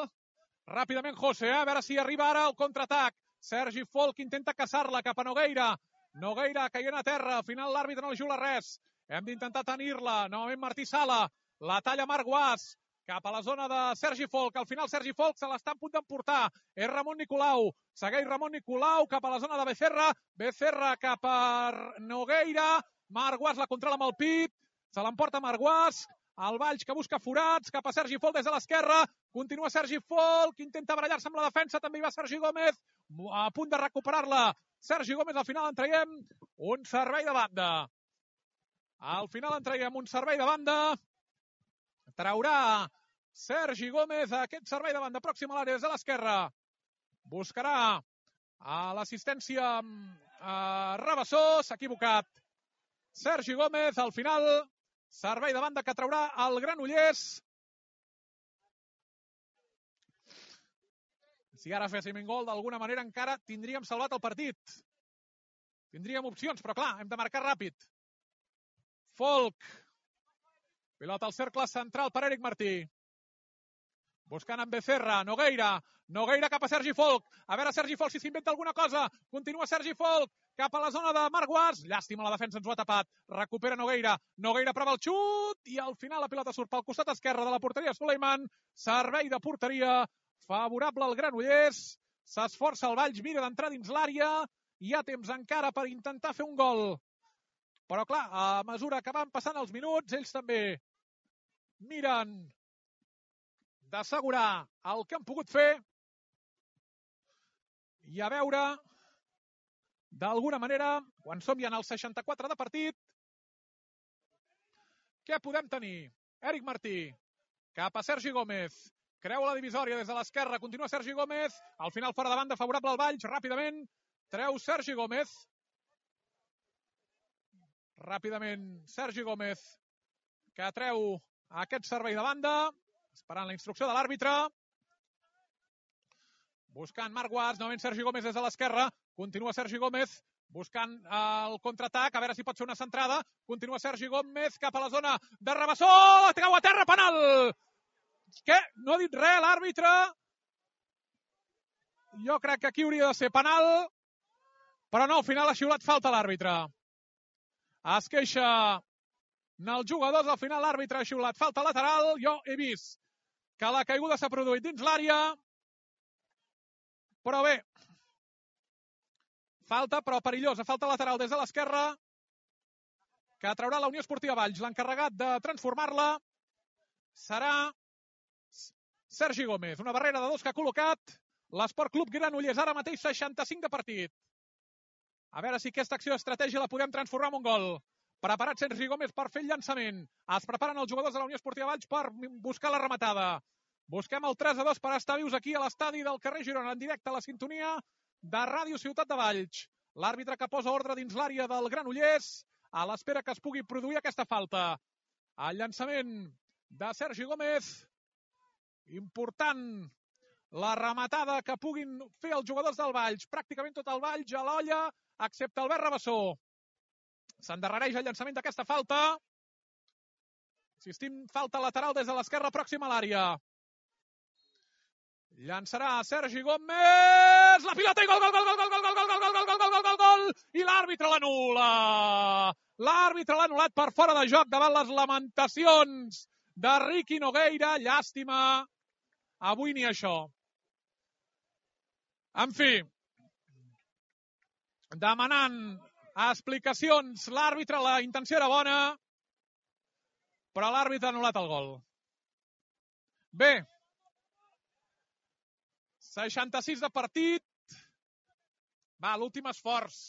Ràpidament José, a veure si arriba ara el contraatac. Sergi Folk intenta caçar-la cap a Nogueira. Nogueira caient a terra. Al final l'àrbitre no li juga res. Hem d'intentar tenir-la. Novament Martí Sala. La talla Marc Guas. Cap a la zona de Sergi Folk. Al final Sergi Folk se l'està a punt d'emportar. És Ramon Nicolau. Segueix Ramon Nicolau cap a la zona de Becerra. Becerra cap a Nogueira. Marc Guas la controla amb el pit. Se l'emporta Marc Guas. El Valls que busca forats. Cap a Sergi Folk des de l'esquerra. Continua Sergi Folk. Intenta barallar-se amb la defensa. També hi va Sergi Gómez. A punt de recuperar-la. Sergi Gómez al final en traiem un servei de banda. Al final en traiem un servei de banda. Traurà Sergi Gómez aquest servei de banda pròxim a l'àrea des de l'esquerra. Buscarà a l'assistència Rabassó. S'ha equivocat Sergi Gómez. Al final, servei de banda que traurà el Granollers. Si ara féssim un gol, d'alguna manera encara tindríem salvat el partit. Tindríem opcions, però clar, hem de marcar ràpid. Folk. Pilota al cercle central per Eric Martí. Buscant amb Becerra. Nogueira. Nogueira cap a Sergi Folk. A veure Sergi Folk si s'inventa alguna cosa. Continua Sergi Folk. Cap a la zona de Marc Guas. Llàstima, la defensa ens ho ha tapat. Recupera Nogueira. Nogueira prova el xut. I al final la pilota surt pel costat esquerre de la porteria Suleiman. Servei de porteria favorable al Granollers. S'esforça el Valls. Mira d'entrar dins l'àrea. Hi ha temps encara per intentar fer un gol. Però clar, a mesura que van passant els minuts, ells també miren d'assegurar el que han pogut fer i a veure, d'alguna manera, quan som ja en el 64 de partit, què podem tenir? Eric Martí, cap a Sergi Gómez, creu la divisòria des de l'esquerra, continua Sergi Gómez, al final fora de banda favorable al Valls, ràpidament, treu Sergi Gómez, Sergi Gómez, que treu aquest servei de banda, esperant la instrucció de l'àrbitre. Buscant Marc Guas, novament Sergi Gómez des de l'esquerra. Continua Sergi Gómez buscant el contraatac, a veure si pot ser una centrada. Continua Sergi Gómez cap a la zona de Rabassó. La treu a terra, penal! Què? No ha dit res l'àrbitre. Jo crec que aquí hauria de ser penal, però no, al final ha xiulat falta l'àrbitre. Es queixa els jugadors, al final l'àrbitre ha xiulat falta lateral. Jo he vist que la caiguda s'ha produït dins l'àrea, però bé, falta, però perillosa, falta lateral des de l'esquerra, que traurà la Unió Esportiva Valls. L'encarregat de transformar-la serà Sergi Gómez. Una barrera de dos que ha col·locat l'Esport Club Granollers, ara mateix 65 de partit. A veure si aquesta acció d'estratègia la podem transformar en un gol. Preparat Sergi Gómez per fer el llançament. Es preparen els jugadors de la Unió Esportiva Valls per buscar la rematada. Busquem el 3-2 per estar vius aquí a l'estadi del carrer Girona, en directe a la sintonia de Ràdio Ciutat de Valls. L'àrbitre que posa ordre dins l'àrea del Granollers a l'espera que es pugui produir aquesta falta. El llançament de Sergi Gómez. Important la rematada que puguin fer els jugadors del Valls. Pràcticament tot el Valls a l'olla, excepte Albert Rabassó. S'endarrereix el llançament d'aquesta falta. Insistim, falta lateral des de l'esquerra pròxima a l'àrea. Llançarà Sergi Gómez. La pilota i gol, gol, gol, gol, gol, gol, gol, gol, gol, gol, gol, gol, gol, gol, gol. I l'àrbitre l'anul·la. L'àrbitre l'ha anul·lat per fora de joc davant les lamentacions de Riqui Nogueira. Llàstima. Avui ni això. En fi, demanant explicacions l'àrbitre, la intenció era bona, però l'àrbitre ha anul·lat el gol. Bé, 66 de partit. Va, l'últim esforç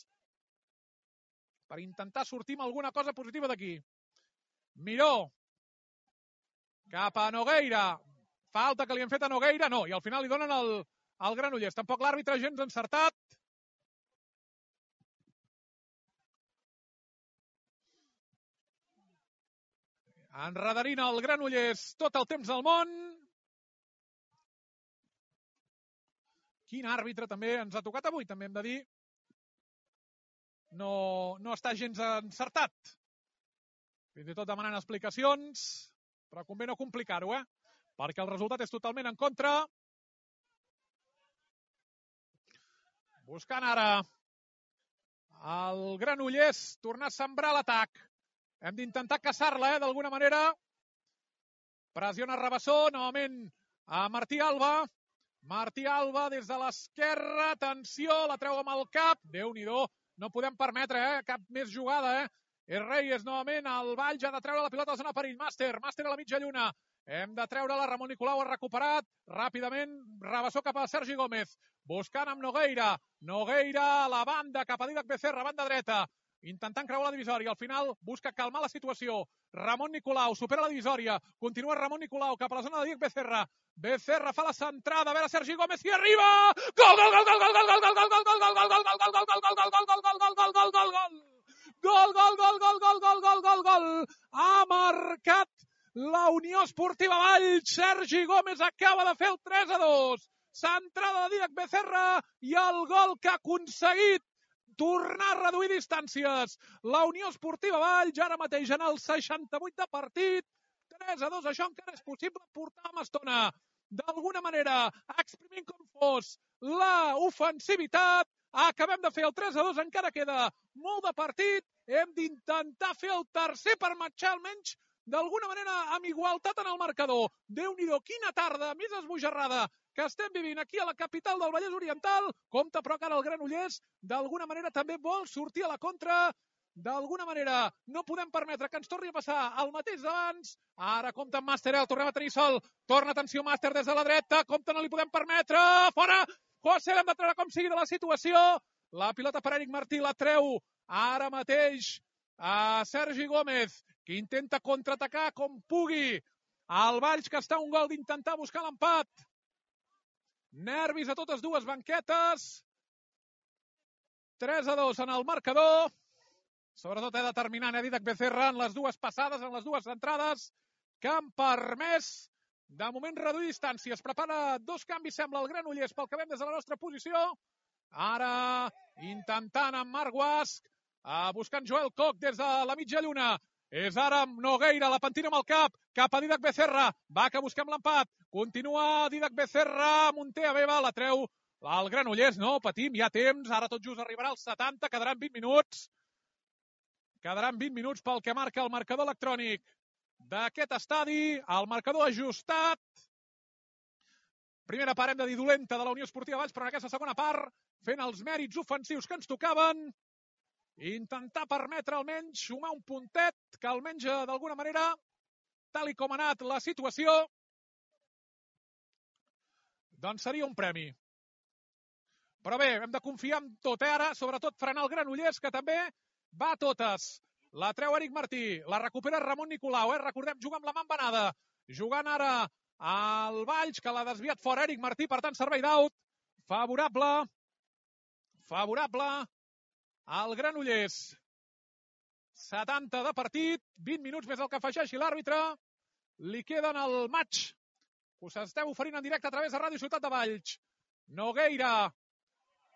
per intentar sortir amb alguna cosa positiva d'aquí. Miró cap a Nogueira. Falta que li han fet a Nogueira, no, i al final li donen al Granollers. Tampoc l'àrbitre gens encertat. Enredarint el Granollers tot el temps del món. Quin àrbitre també ens ha tocat avui, també hem de dir. No està gens encertat. Fins i tot demanant explicacions, però convé no complicar-ho, perquè el resultat és totalment en contra. Buscant ara el Granollers tornar a sembrar l'atac. Hem d'intentar caçar-la, d'alguna manera. Pressiona Rabassó, novament a Martí Alba. Martí Alba des de l'esquerra, atenció, la treu amb el cap. Déu-n'hi-do, no podem permetre cap més jugada. És Reyes, novament, el Valls ha de treure la pilota a la zona perill. Màster a la mitja lluna. Hem de treure-la, Ramon Nicolau ha recuperat. Ràpidament, Rabassó cap a Sergi Gómez. Buscant amb Nogueira. Nogueira a la banda, cap a Dídac Becerra, banda dreta. Intentant creuar la divisòria. Al final busca calmar la situació. Ramon Nicolau supera la divisòria. Continua Ramon Nicolau cap a la zona de Dídac Becerra. Becerra fa la centrada, a veure Sergi Gómez i arriba! Gol, gol, gol, gol, gol, gol, gol, gol, gol, gol, gol, gol, gol, gol, gol, gol, gol! Ha marcat la Unió Esportiva Valls. Sergi Gómez acaba de fer el 3-2. Centrada de Dídac Becerra i el gol que ha aconseguit tornar a reduir distàncies. La Unió Esportiva Valls, ara mateix en el 68 de partit. 3-2, això encara és possible portar amb estona. D'alguna manera, exprimint com fos la ofensivitat, acabem de fer el 3-2, encara queda molt de partit. Hem d'intentar fer el tercer per marxar almenys d'alguna manera amb igualtat en el marcador. Déu-n'hi-do, quina tarda més esbojarrada que estem vivint aquí a la capital del Vallès Oriental. Compte, però, que ara el Granollers d'alguna manera també vol sortir a la contra. D'alguna manera no podem permetre que ens torni a passar el mateix d'abans. Ara compta amb Màster, el tornem a tenir sol. Torna, atenció, Màster des de la dreta. Compte, no li podem permetre. Fora! José, l'hem de treure com sigui de la situació. La pilota per Eric Martí, la treu ara mateix a Sergi Gómez, que intenta contraatacar com pugui. El Valls, que està a un gol d'intentar buscar l'empat. Nervis a totes dues banquetes. 3-2 en el marcador. Sobretot determinant Dídac Becerra en les dues passades, en les dues entrades, que han permès, de moment, reduir distàncies. Prepara dos canvis, sembla, el Granollers, pel que veiem des de la nostra posició. Ara, intentant amb Marc Guasc, buscant Joel Koch des de la mitja lluna. És ara Nogueira, la pentina amb el cap a Dídac Becerra. Va, que busquem l'empat. Continua Dídac Becerra, Montea Beba, la treu el Granollers. No, patim, hi ha temps. Ara tot just arribarà als 70, quedaran 20 minuts. Quedaran 20 minuts pel que marca el marcador electrònic d'aquest estadi. El marcador ajustat. Primera part, hem de dir, dolenta de la Unió Esportiva Valls, però en aquesta segona part, fent els mèrits ofensius que ens tocaven, intentar permetre almenys sumar un puntet que almenys d'alguna manera, tal i com ha anat la situació, doncs seria un premi. Però bé, hem de confiar en tot, ara, sobretot frenar el Granollers, que també va a totes. La treu Eric Martí, la recupera Ramon Nicolau, recordem, juga amb la mà embenada, jugant ara al Valls, que l'ha desviat fora Eric Martí, per tant, servei d'out, favorable al Granollers. 70 de partit, 20 minuts més el que afegeixi l'àrbitre, li queden el match, us esteu oferint en directe a través de Ràdio Ciutat de Valls. Nogueira,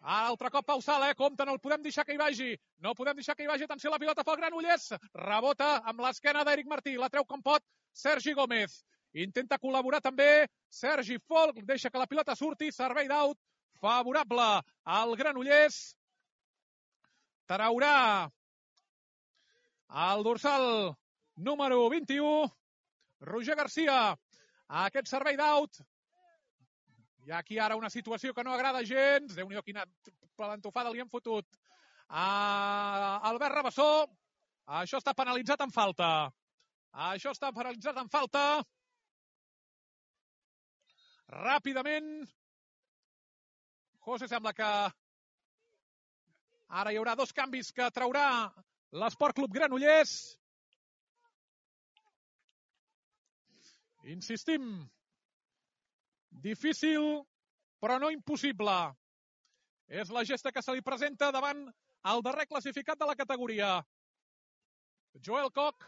altre cop Pau Sala, compte, no el podem deixar que hi vagi. No podem deixar que hi vagi. Atenció, la pilota pel Granollers. Rebota amb l'esquena d'Eric Martí. La treu com pot Sergi Gómez. Intenta col·laborar també Sergi Folk. Deixa que la pilota surti. Servei d'out favorable al Granollers. Traurà el dorsal número 21, Roger Garcia. Aquest servei d'out. Hi ha aquí ara una situació que no agrada gens. Déu-n'hi-do, quina plantofada li han fotut a Albert Rabassó. Això està penalitzat en falta. Ràpidament. José, sembla que ara hi haurà dos canvis que traurà l'Esport Club Granollers. Insistim. Difícil, però no impossible. És la gesta que se li presenta davant el darrer classificat de la categoria. Joel Koch,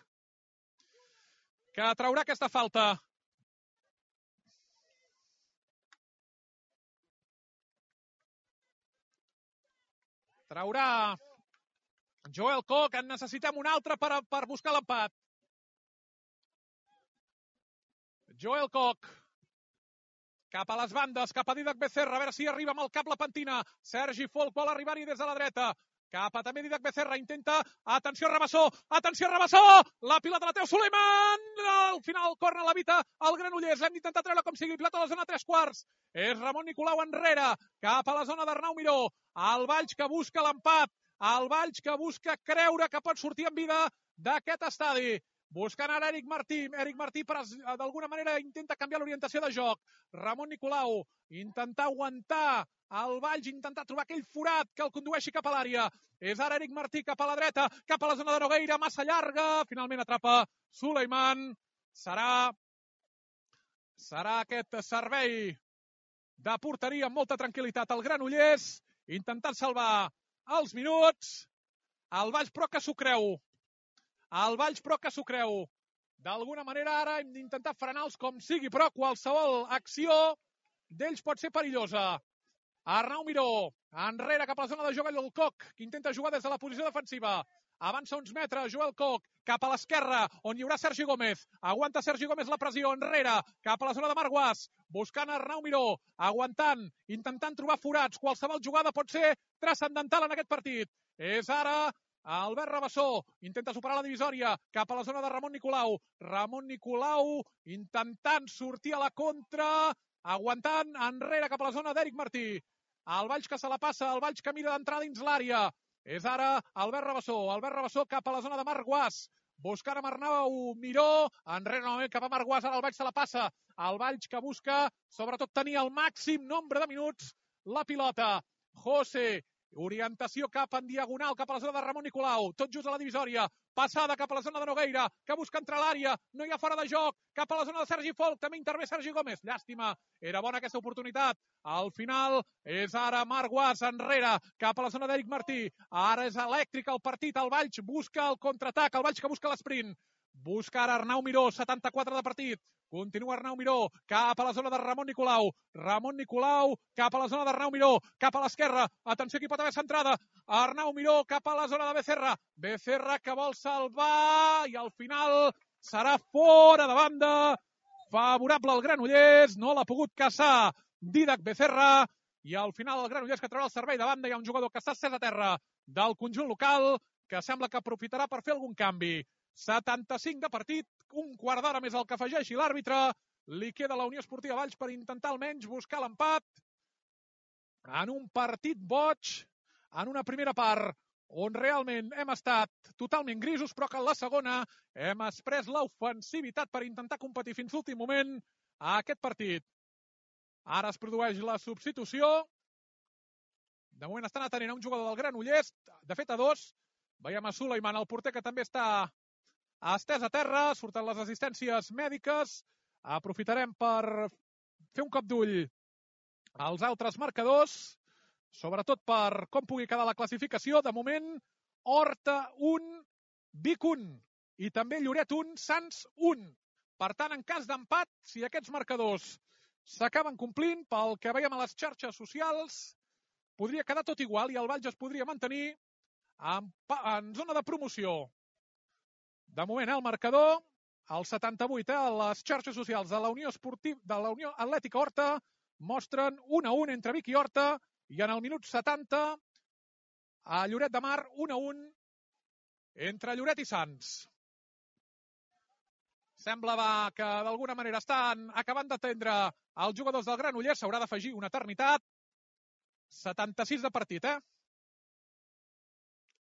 que traurà aquesta falta. Traurà Joel Koch, en necessitem un altre per buscar l'empat. Joel Koch. Cap a les bandes, cap a Dídac Becerra, a veure si arriba amb el cap la pentina. Sergi Folk vol arribar-hi des de la dreta. Cap a també Didac Becerra, intenta, atenció Rabassó, la pilota la treu Suleiman, al final corna l'evita el Granollers, l'hem d'intentar treure com sigui, pilota a la zona 3/4, és Ramon Nicolau enrere, cap a la zona d'Arnau Miró, el Valls que busca l'empat, el Valls que busca creure que pot sortir en vida d'aquest estadi, buscant ara Eric Martí d'alguna manera intenta canviar l'orientació de joc, Ramon Nicolau, intentar aguantar el Valls, intentar trobar aquell forat que el condueixi cap a l'àrea. És ara Eric Martí cap a la dreta, cap a la zona de Nogueira, massa llarga. Finalment atrapa Suleiman. Serà aquest servei de porteria amb molta tranquil·litat al Granollers, intentant salvar els minuts. El Valls però que s'ho creu. D'alguna manera ara hem d'intentar frenar-los com sigui, però qualsevol acció d'ells pot ser perillosa. Arnau Miró, enrere cap a la zona de Joel Koch, que intenta jugar des de la posició defensiva. Avança uns metres, Joel Koch, cap a l'esquerra, on hi haurà Sergi Gómez. Aguanta Sergi Gómez la pressió, enrere, cap a la zona de Marc Guas, buscant Arnau Miró, aguantant, intentant trobar forats. Qualsevol jugada pot ser transcendental en aquest partit. És ara Albert Rabassó, intenta superar la divisòria, cap a la zona de Ramon Nicolau. Ramon Nicolau intentant sortir a la contra, aguantant, enrere cap a la zona d'Eric Martí. El Valls que se la passa, el Valls que mira d'entrar dins l'àrea. És ara Albert Rabassó cap a la zona de Marc Guas, buscant amb Arnau Miró, enrere novament cap a Marc Guas, ara el Valls se la passa. El Valls que busca, sobretot, tenir el màxim nombre de minuts la pilota. José, orientació cap en diagonal, cap a la zona de Ramon Nicolau, tot just a la divisòria, passada cap a la zona de Nogueira, que busca entrar a l'àrea, no hi ha fora de joc, cap a la zona de Sergi Folk, també intervé Sergi Gómez, llàstima, era bona aquesta oportunitat, al final és ara Marc Guas enrere, cap a la zona d'Eric Martí, ara és elèctric el partit, el Valls busca el contraatac, el Valls que busca l'esprint, busca ara Arnau Miró, 74 de partit, continua Arnau Miró, cap a la zona de Ramon Nicolau, cap a la zona d'Arnau Miró, cap a l'esquerra, atenció que hi pot haver centrada, Arnau Miró cap a la zona de Becerra que vol salvar i al final serà fora de banda, favorable al Granollers, no l'ha pogut caçar Didac Becerra i al final el Granollers que traurà el servei de banda, hi ha un jugador que està estès a terra del conjunt local que sembla que aprofitarà per fer algun canvi. 75 de partit, un quart d'hora més el que afegeixi l'àrbitre, li queda a la Unió Esportiva Valls per intentar almenys buscar l'empat en un partit boig, en una primera part on realment hem estat totalment grisos, però que en la segona hem exprès l'ofensivitat per intentar competir fins l'últim moment a aquest partit. Ara es produeix la substitució, de moment estan atenent a un jugador del Granollers, de fet a dos, veiem a Suleiman, el porter que també està estès a terra, surten les assistències mèdiques, aprofitarem per fer un cop d'ull als altres marcadors, sobretot per com pugui quedar la classificació. De moment, Horta 1, Vic 1 i també Lloret 1, Sants 1. Per tant, en cas d'empat, si aquests marcadors s'acaben complint, pel que veiem a les xarxes socials, podria quedar tot igual i el Valls es podria mantenir en zona de promoció. De moment, el marcador, el 78, a les xarxes socials de la Unió Atlètica Horta, mostren 1-1 entre Vic i Horta, i en el minut 70, a Lloret de Mar, 1-1 entre Lloret i Sants. Sembla que d'alguna manera estan acabant d'atendre els jugadors del Granollers, s'haurà d'afegir una eternitat. 76 de partit,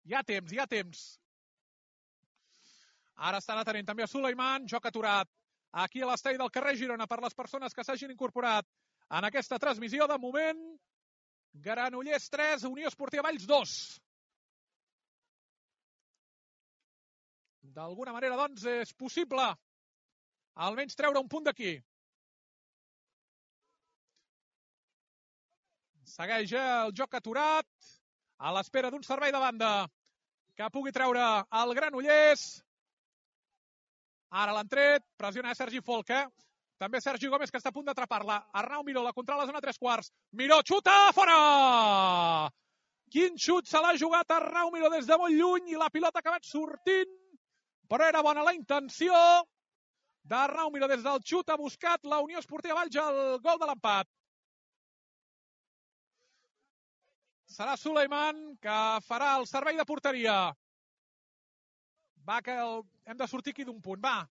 Hi ha temps. Ara estan atenent també a Suleiman, joc aturat aquí a l'estadi del carrer Girona per les persones que s'hagin incorporat en aquesta transmissió. De moment, Granollers 3, Unió Esportiva Valls 2. D'alguna manera, doncs, és possible almenys treure un punt d'aquí. Segueix el joc aturat a l'espera d'un servei de banda que pugui treure el Granollers. Ara l'han tret, pressiona Sergi Folk, També Sergi Gómez, que està a punt d'atrapar-la. Arnau Miró, la controla a la zona 3/4. Miró, xuta, fora! Quin xut se l'ha jugat Arnau Miró des de molt lluny i la pilota ha acabat sortint, però era bona la intenció d'Arnau Miró. Des del xut ha buscat la Unió Esportiva Valls el gol de l'empat. Serà Suleiman que farà el servei de porteria. Va, que hem de sortir aquí d'un punt. Va.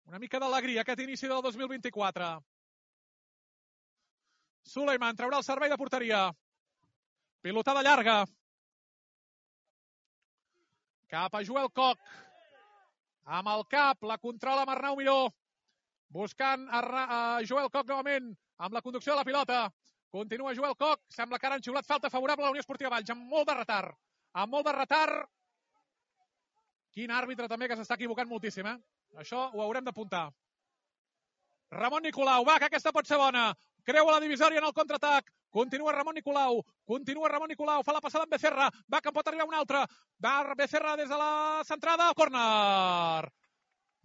Una mica d'alegria aquest inici del 2024. Suleiman traurà el servei de porteria. Pilotada llarga. Cap a Joel Koch. Amb el cap, la controla amb Arnau Miró. Buscant a Joel Koch novament amb la conducció de la pilota. Continua Joel Koch. Sembla que ara han xiulat falta favorable a la Unió Esportiva Valls. Amb molt de retard. Amb molt de retard. Quin àrbitre també que s'està equivocant moltíssim, eh? Això ho haurem d'apuntar. Ramon Nicolau. Va, que aquesta pot ser bona. Creua la divisòria en el contraatac. Continua Ramon Nicolau. Fa la passada amb Becerra. Va, que en pot arribar un altre. Va Becerra des de la centrada. Córner.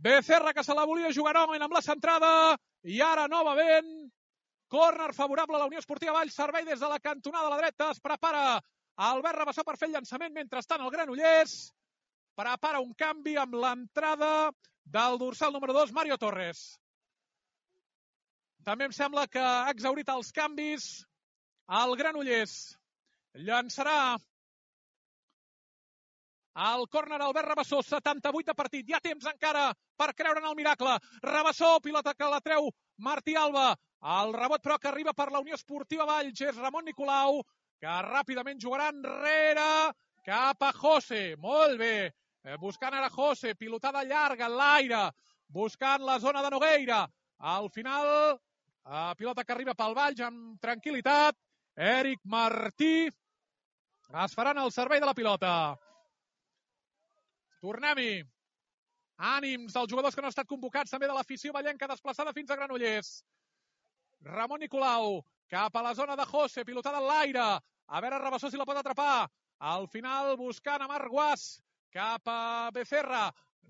Becerra que se la volia jugar novament amb la centrada. I ara novament. Córner favorable a la Unió Esportiva Valls. Servei des de la cantonada a la dreta. Es prepara Albert Rabassó per fer el llançament. Mentrestant el Granollers prepara un canvi amb l'entrada del dorsal número 2, Mario Torres. També em sembla que ha exhaurit els canvis el Granollers. Llançarà el córner Albert Rabassó, 78 de partit. Hi ha temps encara per creure en el miracle. Rabassó, pilota que la treu Martí Alba. El rebot, però, que arriba per la Unió Esportiva Valls és Ramon Nicolau, que ràpidament jugarà enrere cap a José. Molt bé. Buscant ara José, pilotada llarga en l'aire, buscant la zona de Nogueira. Al final, pilota que arriba pel Valls amb tranquil·litat. Eric Martí es faran el servei de la pilota. Tornem-hi. Ànims dels jugadors que no han estat convocats, també de l'afició vallenca desplaçada fins a Granollers. Ramon Nicolau, cap a la zona de José, pilotada en l'aire. A veure Rabassó si la pot atrapar. Al final, buscant a Marc Guas, cap a Becerra.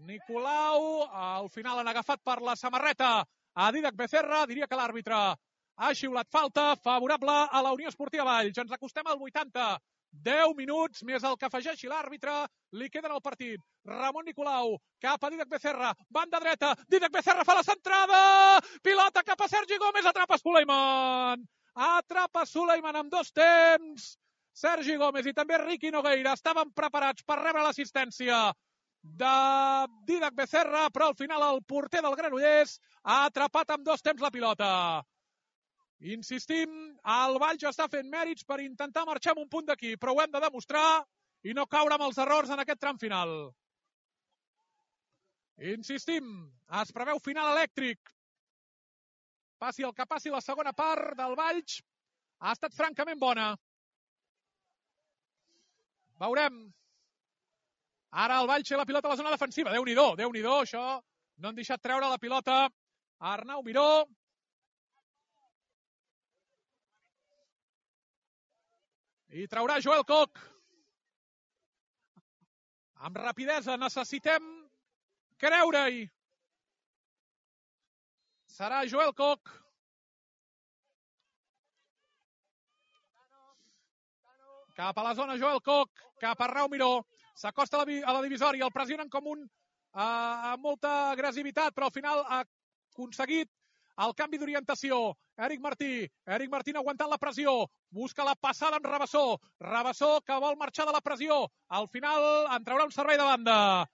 Nicolau, al final han agafat per la samarreta a Dídac Becerra. Diria que l'àrbitre ha xiulat falta favorable a la Unió Esportiva Valls. Ens acostem al 80. 10 minuts més el que afegeixi l'àrbitre. Li queden al partit. Ramon Nicolau, cap a Dídac Becerra. Banda dreta. Dídac Becerra fa la centrada. Pilota cap a Sergi Gómez. Atrapa Suleiman. Atrapa Suleiman amb 2 temps. Sergi Gómez i també Riqui Nogueira estaven preparats per rebre l'assistència de Dídac Becerra, però al final el porter del Granollers ha atrapat amb 2 temps la pilota. Insistim, el Valls està fent mèrits per intentar marxar amb un punt d'aquí, però ho hem de demostrar i no caure amb els errors en aquest tram final. Insistim, es preveu final elèctric. Passi el que passi, la segona part del Valls ha estat francament bona. Veurem. Ara el Valls té la pilota a la zona defensiva. Déu-n'hi-do, Déu-n'hi-do, això. No han deixat treure la pilota a Arnau Miró. I traurà Joel Koch. Amb rapidesa necessitem creure-hi. Serà Joel Koch. Cap a la zona Joel Koch, cap a Arnau Miró. S'acosta a la divisòria, el pressionen com amb molta agressivitat, però al final ha aconseguit el canvi d'orientació. Eric Martín aguantant la pressió. Busca la passada amb Rabassó. Rabassó que vol marxar de la pressió. Al final en traurà un servei de banda.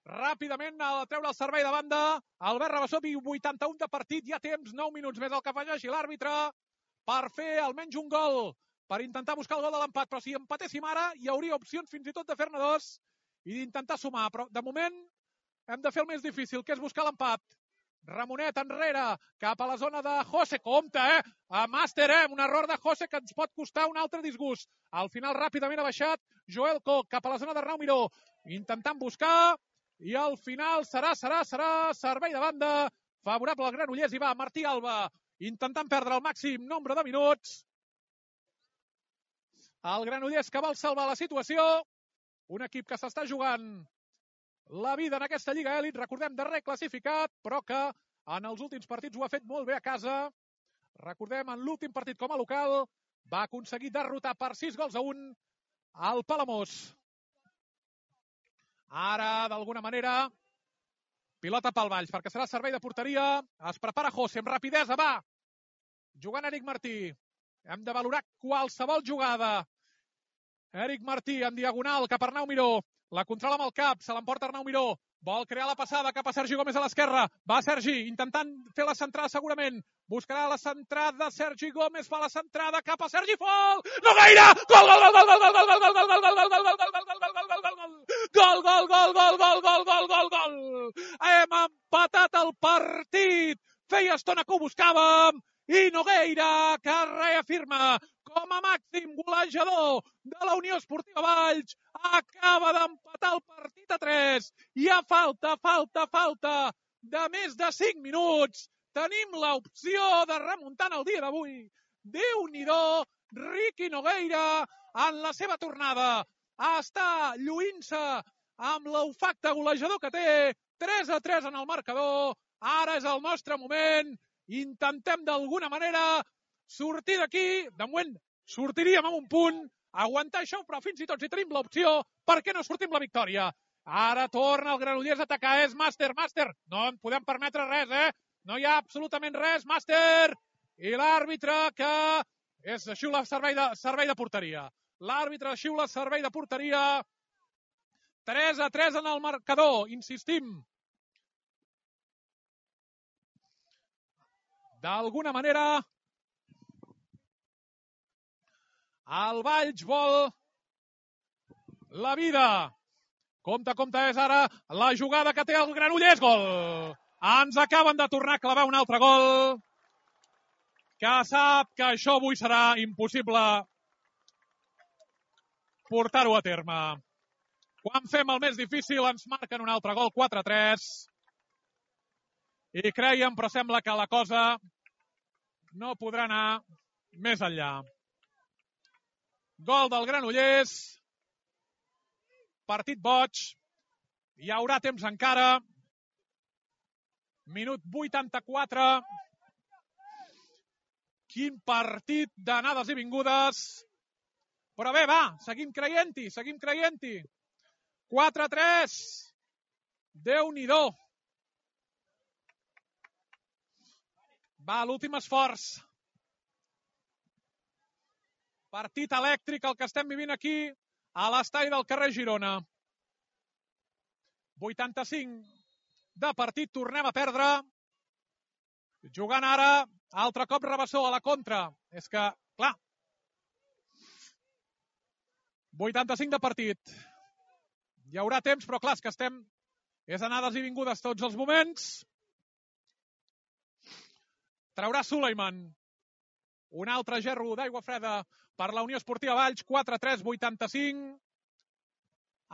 Ràpidament a treure el servei de banda. Albert Rabassó, 81 de partit. Hi ha temps, 9 minuts més el que afegeixi l'àrbitre per fer almenys un gol, per intentar buscar el gol de l'empat. Però si empatéssim ara, hi hauria opcions fins i tot de fer-ne 2 i d'intentar sumar. Però de moment hem de fer el més difícil, que és buscar l'empat. Ramonet enrere, cap a la zona de José. Compte, a màster, un error de José que ens pot costar un altre disgust. Al final ràpidament ha baixat Joel Koch cap a la zona d'Arnau Miró, intentant buscar, i al final serà servei de banda favorable al Granollers. I va Martí Alba intentant perdre el màxim nombre de minuts. El Granollers que vol salvar la situació, un equip que s'està jugant la vida en aquesta Lliga Elit, recordem, darrer classificat, però que en els últims partits ho ha fet molt bé a casa. Recordem, en l'últim partit com a local va aconseguir derrotar per 6-1 al Palamós. Ara, d'alguna manera, pilota pel Valls, perquè serà servei de porteria. Es prepara José, amb rapidesa, va! Jugant Eric Martí. Hem de valorar qualsevol jugada. Eric Martí en diagonal cap a Arnau Miró. La controla amb el cap, se l'emporta Arnau Miró. Vol crear la passada cap a Sergi Gómez a l'esquerra. Va Sergi, intentant fer la centrada segurament. Buscarà la centrada, Sergi Gómez fa la centrada cap a Sergi Fol. No gaire! Gol, gol, gol, gol, gol, gol, gol, gol, gol, gol, gol, gol, gol, gol, gol. Hem empatat el partit. Feia estona que ho buscàvem. I Nogueira, que reafirma com a màxim golejador de la Unió Esportiva Valls, acaba d'empatar el partit a 3. I a falta de més de 5 minuts. Tenim l'opció de remuntar el dia d'avui. Déu-n'hi-do, Riqui Nogueira, en la seva tornada, està lluint-se amb l'olfacte golejador que té. 3-3 en el marcador. Ara és el nostre moment. Intentem d'alguna manera sortir d'aquí. De moment sortiríem amb un punt, aguantar això, però fins i tot si tenim l'opció, per què no sortim la victòria? Ara torna el Granollers a atacar. És Màster. No en podem permetre res, No hi ha absolutament res, Màster. I l'àrbitre que xiula servei de porteria. L'àrbitre xiula servei de porteria. 3-3 en el marcador, insistim. D'alguna manera, el Valls vol la vida. Compte, és ara la jugada que té el Granollers. Gol! Ens acaben de tornar a clavar un altre gol, que sap que això avui serà impossible portar-ho a terme. Quan fem el més difícil ens marquen un altre gol, 4-3. I creiem, però sembla que la cosa no podrà anar més enllà. Gol del Granollers. Partit boig. Hi haurà temps encara. Minut 84. Quin partit d'anades i vingudes. Però bé, va, seguim creient-hi. 4-3. Déu-n'hi-do. Va, l'últim esforç. Partit elèctric el que estem vivint aquí a l'estadi del carrer Girona. 85 de partit, tornem a perdre. Jugant ara, altre cop Rabassó a la contra. És que, clar, 85 de partit. Hi haurà temps, però clar, és que estem... És anades i vingudes tots els moments. Traurà Suleiman. Un altre gerro d'aigua freda per la Unió Esportiva Valls. 4-3, 85.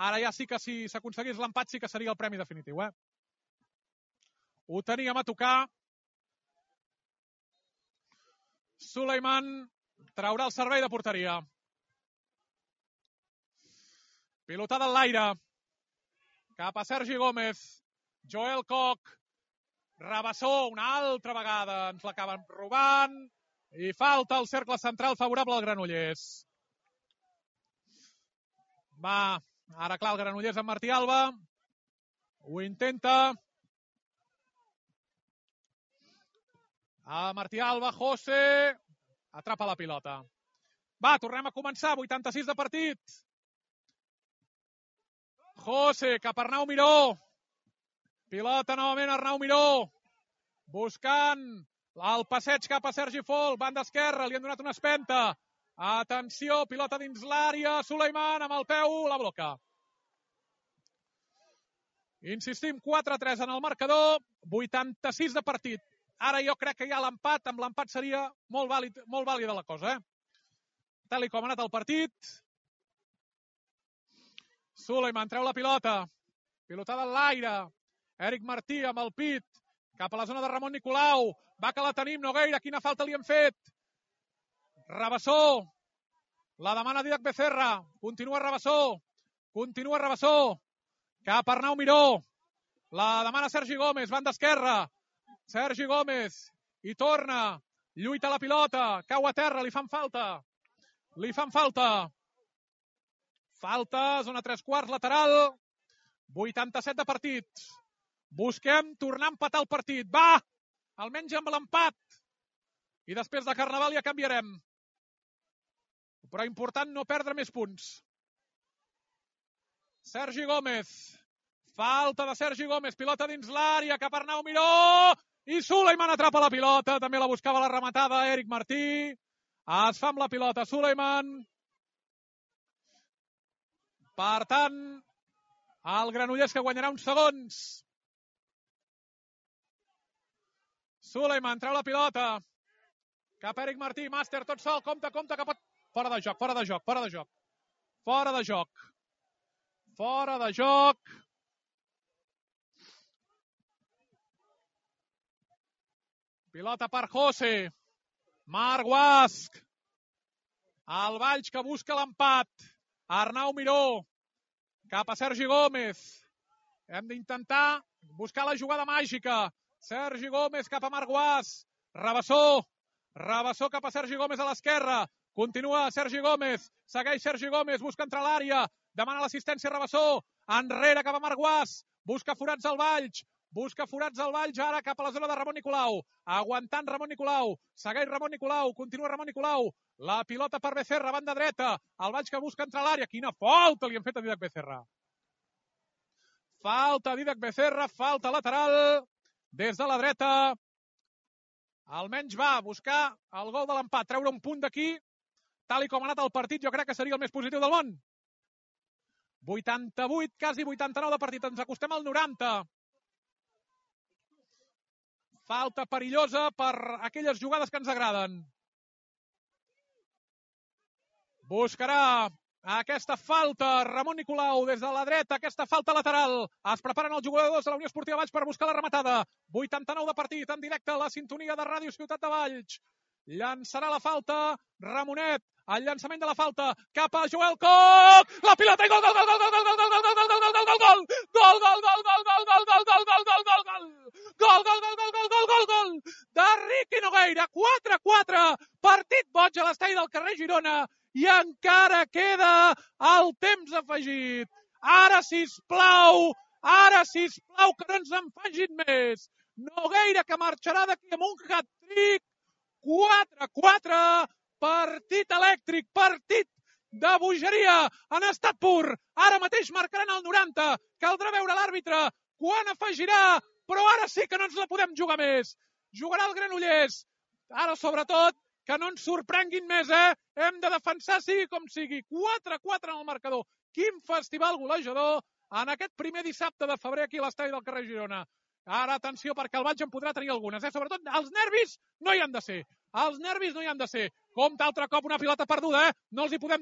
Ara ja sí que si s'aconseguís l'empat sí que seria el premi definitiu, Ho teníem a tocar. Suleiman traurà el servei de porteria. Pilotada en l'aire. Cap a Sergi Gómez. Joel Koch. Rabassó una altra vegada. Ens l'acaben robant. I falta el cercle central favorable al Granollers. Va, ara clar el Granollers amb Martí Alba. Ho intenta. A Martí Alba, José. Atrapa la pilota. Va, tornem a començar. 86 de partit. José, cap a Arnau Miró. Pilota novament Arnau Miró. Buscant el passeig cap a Sergi Fol. Banda esquerra, li han donat una espenta. Atenció, pilota dins l'àrea. Suleiman amb el peu, la bloca. Insistim, 4-3 en el marcador. 86 de partit. Ara jo crec que ja l'empat, amb l'empat seria molt vàlida la cosa, Tal com ha anat el partit. Suleiman treu la pilota. Pilotada en l'aire. Eric Martí amb el pit. Cap a la zona de Ramon Nicolau. Va que la tenim, Nogueira. Quina falta li han fet. Rabassó. La demana Didac Becerra. Continua Rabassó. Cap a Arnau Miró. La demana Sergi Gómez. Banda esquerra. Sergi Gómez. I torna. Lluita la pilota. Cau a terra. Li fan falta. Falta, zona 3/4, lateral. 87 de partit. Busquem tornar a empatar el partit. Va! Almenys amb l'empat. I després de Carnaval ja canviarem. Però important no perdre més punts. Sergi Gómez. Falta de Sergi Gómez. Pilota dins l'àrea cap a Arnau Miró. I Suleiman atrapa la pilota. També la buscava la rematada Eric Martí. Es fa amb la pilota Suleiman. Per tant, el Granollers que guanyarà uns segons. Suleiman treu la pilota. Cap a Eric Martí. Màster tot sol. Compte que pot... Fora de joc. Fora de joc. Pilota per José. Marc Guasc. El Valls que busca l'empat. Arnau Miró. Cap a Sergi Gómez. Hem d'intentar buscar la jugada màgica. Sergi Gómez cap a Marc Guasc. Rabassó cap a Sergi Gómez a l'esquerra. Continua Sergi Gómez. Segueix Sergi Gómez. Busca entrar a l'àrea. Demana l'assistència Rabassó. Enrere cap a Marc Guasc. Busca forats al Valls. Ara cap a la zona de Ramon Nicolau. Aguantant Ramon Nicolau. Segueix Ramon Nicolau. Continua Ramon Nicolau. La pilota per Becerra, banda dreta. El Valls que busca entrar a l'àrea. Quina falta li han fet a Dídac Becerra. Falta lateral. Des de la dreta. Almenys va buscar el gol de l'empat. Treure un punt d'aquí. Tal i com ha anat el partit, jo crec que seria el més positiu del món. 88, quasi 89 de partit. Ens acostem al 90. Falta perillosa per aquelles jugades que ens agraden. Buscarà aquesta falta Ramon Nicolau des de la dreta, aquesta falta lateral. Es preparen els jugadors de la Unió Esportiva Valls per buscar la rematada. 89 de partit, en directe a la sintonia de Ràdio Ciutat de Valls. Llançarà la falta Ramonet. El llançament de la falta cap a Joel Coc. La pilota i gol, gol, gol, gol, gol, gol, gol, gol, gol, gol, gol, gol, gol, gol, gol de Riqui Nogueira. 4-4, partit boig a l'estadi del carrer Girona i encara queda el temps afegit. Ara, sisplau, que no ens en facin més. Nogueira que marxarà d'aquí amb un hat-trick. 4-4, partit elèctric, partit de bogeria en estat pur. Ara mateix marcaran el 90. Caldrà veure l'àrbitre quan afegirà, però ara sí que no ens la podem jugar més. Jugarà el Granollers. Ara, sobretot, que no ens sorprenguin més, Hem de defensar sigui com sigui. 4-4 en el marcador. Quin festival golejador en aquest primer dissabte de febrer aquí a l'estadi del carrer Girona. Ara, atenció, perquè el Valls en podrà tenir algunes. Sobretot, els nervis no hi han de ser. Compte altre cop una pilota perduda, No els hi podem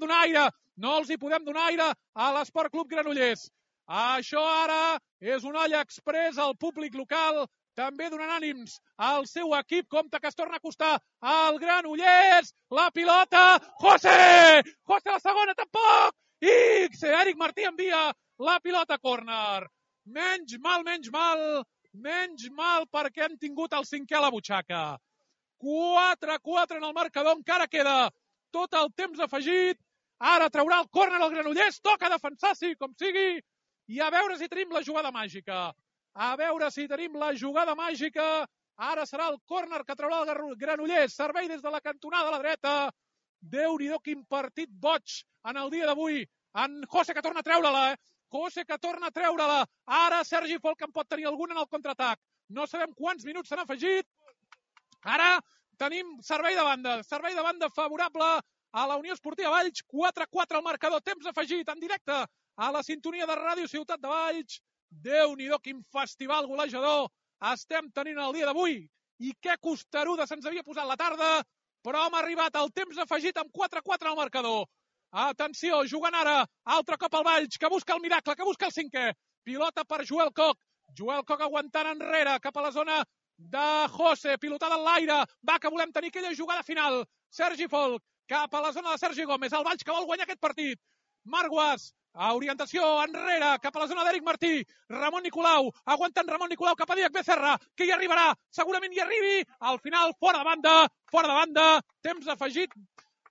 donar aire a l'Esport Club Granollers. Això ara és una olla express al públic local, també donant ànims al seu equip. Compte que es torna a acostar al Granollers. La pilota, José la segona, tampoc. I Eric Martí envia la pilota a córner. Menys mal perquè han tingut el cinquè a la butxaca. 4-4 en el marcador, encara queda tot el temps afegit. Ara traurà el córner al Granollers, toca defensar, sí, com sigui, i a veure si tenim la jugada màgica. Ara serà el córner que traurà el Granollers, servei des de la cantonada a la dreta. Déu-n'hi-do, quin partit boig en el dia d'avui. En José que torna a treure-la. Ara Sergi Folk en pot tenir alguna en el contraatac. No sabem quants minuts s'han afegit. Ara tenim servei de banda favorable a la Unió Esportiva Valls. 4-4 al marcador, temps afegit en directe a la sintonia de Ràdio Ciutat de Valls. Déu-n'hi-do, quin festival golejador estem tenint el dia d'avui. I que costeruda se'ns havia posat la tarda, però hem arribat al temps afegit amb 4-4 al marcador. Atenció, jugant ara, altre cop al Valls, que busca el miracle, que busca el cinquè. Pilota per Joel Coc aguantant enrere, cap a la zona de José, pilotada en l'aire. Va, que volem tenir aquella jugada final. Sergi Folk, cap a la zona de Sergi Gómez. El Valls que vol guanyar aquest partit. Marc Guasc, a orientació enrere, cap a la zona d'Eric Martí. Ramon Nicolau, aguantant Ramon Nicolau cap a Dídac Becerra, que hi arribarà, segurament hi arribi. Al final, fora de banda, temps afegit.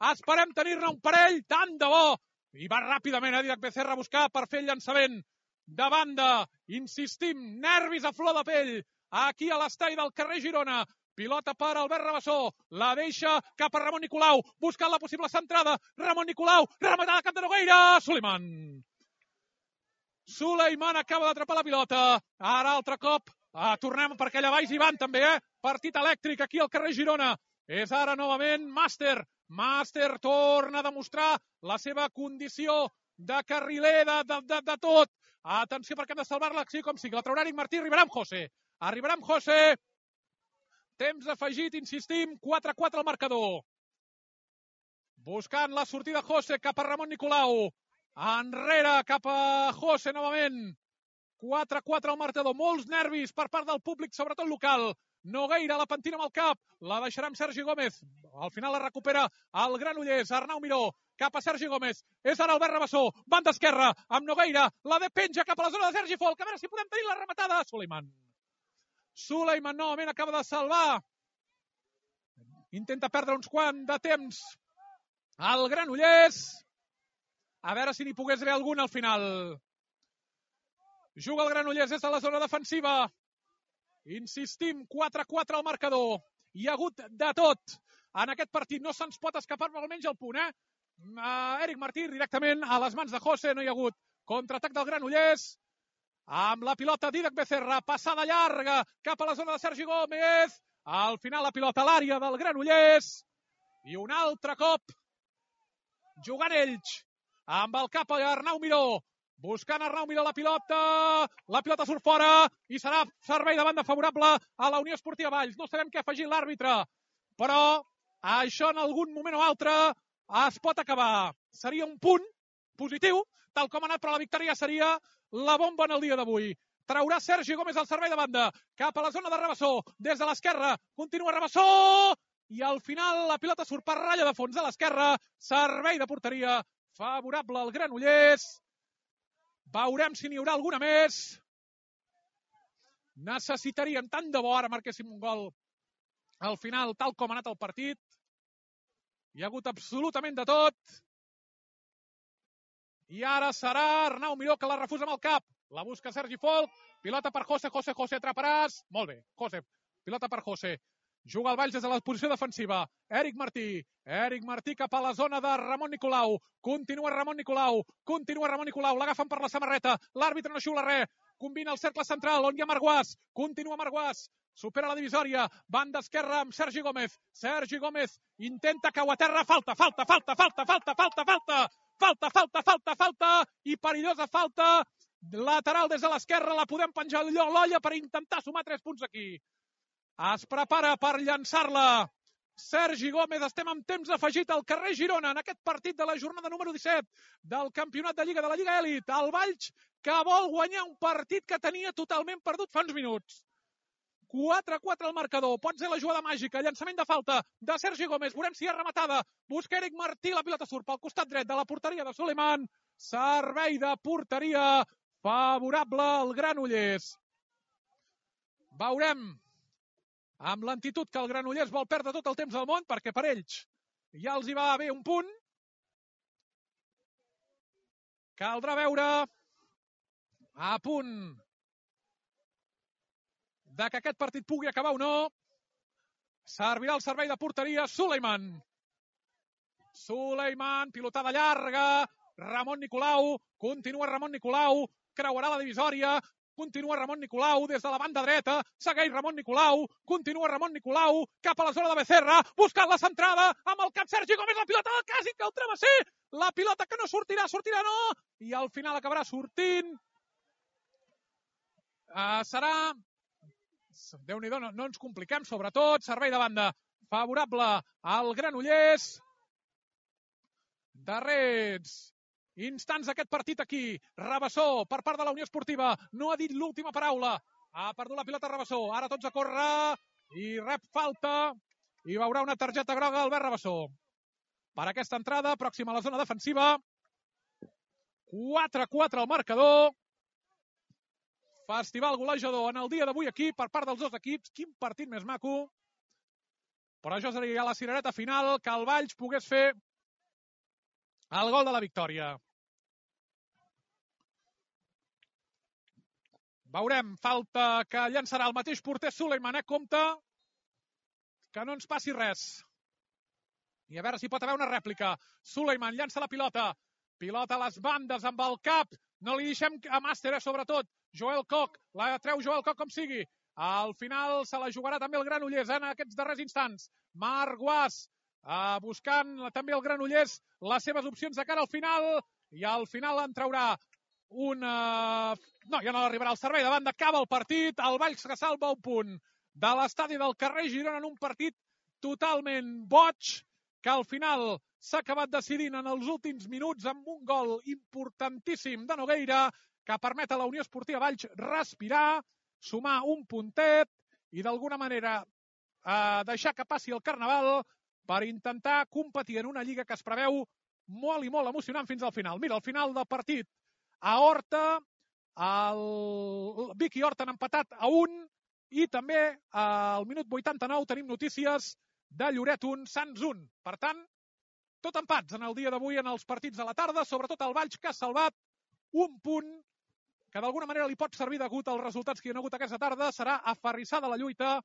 Esperem tenir-ne un parell, tant de bo. I va ràpidament a Dídac Becerra a buscar per fer el llançament de banda. Insistim, nervis a flor de pell. Aquí a l'estadi del carrer Girona. Pilota per Albert Rabassó. La deixa cap a Ramon Nicolau. Buscant la possible centrada. Ramon Nicolau. Rematada cap de Nogueira. Suleiman. Suleiman acaba d'atrapar la pilota. Ara altre cop. Tornem perquè allà baix hi van també, Partit elèctric aquí al carrer Girona. És ara novament Màster. Màster torna a demostrar la seva condició de carriler, de tot. Atenció perquè hem de salvar-la, sí com sigui. La traurà Eric Martí, arribarà amb José. Arribarà amb José. Temps afegit, insistim, 4-4 al marcador. Buscant la sortida José cap a Ramon Nicolau. Enrere cap a José novament. 4-4 al marcador. Molts nervis per part del públic, sobretot local. Nogueira la pentina amb el cap. La deixarà amb Sergi Gómez. Al final la recupera el Granollers. Arnau Miró cap a Sergi Gómez. És ara Albert Rabassó. Banda esquerra amb Nogueira. La de penja cap a la zona de Sergi Folk. A veure si podem tenir la rematada. Suleiman novament acaba de salvar. Intenta perdre uns quants de temps el Granollers. A veure si n'hi pogués haver algun al final. Juga el Granollers des de la zona defensiva. Insistim, 4-4 al marcador. Hi ha hagut de tot en aquest partit. No se'ns pot escapar almenys el punt, Eric Martí directament a les mans de José. No hi ha hagut contraatac del Granollers. Amb la pilota Dídac Becerra. Passada llarga cap a la zona de Sergi Gómez. Al final la pilota a l'àrea del Granollers. I un altre cop jugant ells. Amb el cap a Arnau Miró. Buscant Arnau Miró la pilota surt fora i serà servei de banda favorable a la Unió Esportiva Valls. No sabem què ha afegit l'àrbitre, però això en algun moment o altre es pot acabar. Seria un punt positiu, tal com ha anat, però la victòria seria la bomba en el dia d'avui. Traurà Sergi Gómez al servei de banda, cap a la zona de Rabassó, des de l'esquerra, continua Rabassó, i al final la pilota surt per ratlla de fons a l'esquerra, servei de porteria favorable al Granollers. Veurem si n'hi haurà alguna més. Necessitaríem tant de bo ara marquéssim un gol al final, tal com ha anat el partit. Hi ha hagut absolutament de tot. I ara serà Arnau Miró que la refusa amb el cap. La busca Sergi Folk. Pilota per José. José atraparàs. Molt bé, José. Pilota per José. Juga el Valls des de la posició defensiva. Eric Martí cap a la zona de Ramon Nicolau. Continua Ramon Nicolau. L'agafen per la samarreta. L'àrbitre no xiula res. Combina el cercle central on hi ha Marguàs. Continua Marguàs. Supera la divisòria. Banda esquerra amb Sergi Gómez. Sergi Gómez intenta cau a terra. Falta. I perillosa falta. Lateral des de l'esquerra. La podem penjar a l'olla per intentar sumar 3 punts aquí. Es prepara per llançar-la Sergi Gómez. Estem en temps afegit al carrer Girona en aquest partit de la jornada número 17 del campionat de Lliga de la Lliga Elit. El Valls que vol guanyar un partit que tenia totalment perdut fa uns minuts. 4-4 al marcador. Pot ser la jugada màgica. Llançament de falta de Sergi Gómez. Veurem si és rematada. Busca Eric Martí. La pilota surt pel costat dret de la porteria de Suleiman. Servei de porteria favorable al Granollers. Veurem amb lentitud que el Granollers vol perdre tot el temps del món, perquè per ells ja els hi va bé un punt. Caldrà veure a punt de que aquest partit pugui acabar o no. Servirà el servei de porteria Suleiman, pilotada llarga. Ramon Nicolau, continua Ramon Nicolau, creuarà la divisòria. Continua Ramon Nicolau des de la banda dreta. Segueix Ramon Nicolau. Continua Ramon Nicolau cap a la zona de Becerra. Buscant la centrada amb el cap Sergi Gómez. La pilota quasi que el travesser. La pilota que no sortirà no. I al final acabarà sortint. Serà... Déu-n'hi-do, no ens compliquem, sobretot. Servei de banda favorable al Granollers. Darrers instants d'aquest partit aquí. Rabassó per part de la Unió Esportiva. No ha dit l'última paraula. Ha perdut la pilota Rabassó. Ara tots a córrer i rep falta. I veurà una targeta groga Albert Rabassó. Per aquesta entrada, pròxima a la zona defensiva. 4-4 al marcador. Festival golejador en el dia d'avui aquí per part dels dos equips. Quin partit més maco. Però això seria la cirereta final, que el Valls pogués fer el gol de la victòria. Veurem, falta que llançarà el mateix porter Suleiman, compte que no ens passi res. I a veure si pot haver una rèplica. Suleiman llança la pilota. Pilota a les bandes amb el cap No li deixem a Màster, sobretot. Joel Koch, la treu Joel Koch com sigui. Al final se la jugarà també el Granollers en aquests darrers instants. Marc Guas buscant també el Granollers les seves opcions de cara al final, i al final en traurà una... No, ja no arribarà al servei. Davant d'acaba el partit, el Valls que salva un punt de l'estadi del carrer Girona en un partit totalment boig, que al final s'ha acabat decidint en els últims minuts amb un gol importantíssim de Nogueira que permet a la Unió Esportiva Valls respirar, sumar un puntet i d'alguna manera deixar que passi el Carnaval per intentar competir en una lliga que es preveu molt i molt emocionant fins al final. Mira, al final del partit a Horta, el Vic i Horta han empatat a 1 i també al minut 89 tenim notícies de Lloret 1, Sants 1. Per tant, tot empats en el dia d'avui en els partits de la tarda, sobretot el Valls que ha salvat un punt que d'alguna manera li pot servir degut als resultats que hi ha hagut aquesta tarda. Serà aferrissada la lluita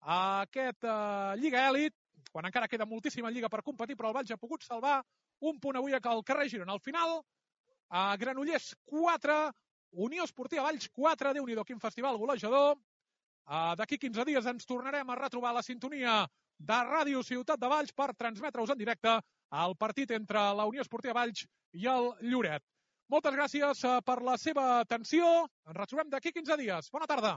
a aquest Lliga Èlit, quan encara queda moltíssima lliga per competir, però el Valls ha pogut salvar un punt avui al carrer Girona. Al final, Granollers 4, Unió Esportiva Valls 4, Déu-n'hi-do, quin festival golejador. D'aquí 15 dies ens tornarem a retrobar la sintonia de Ràdio Ciutat de Valls per transmetre-us en directe el partit entre la Unió Esportiva Valls i el Lloret. Moltes gràcies per la seva atenció. Ens retrobem d'aquí 15 dies. Bona tarda.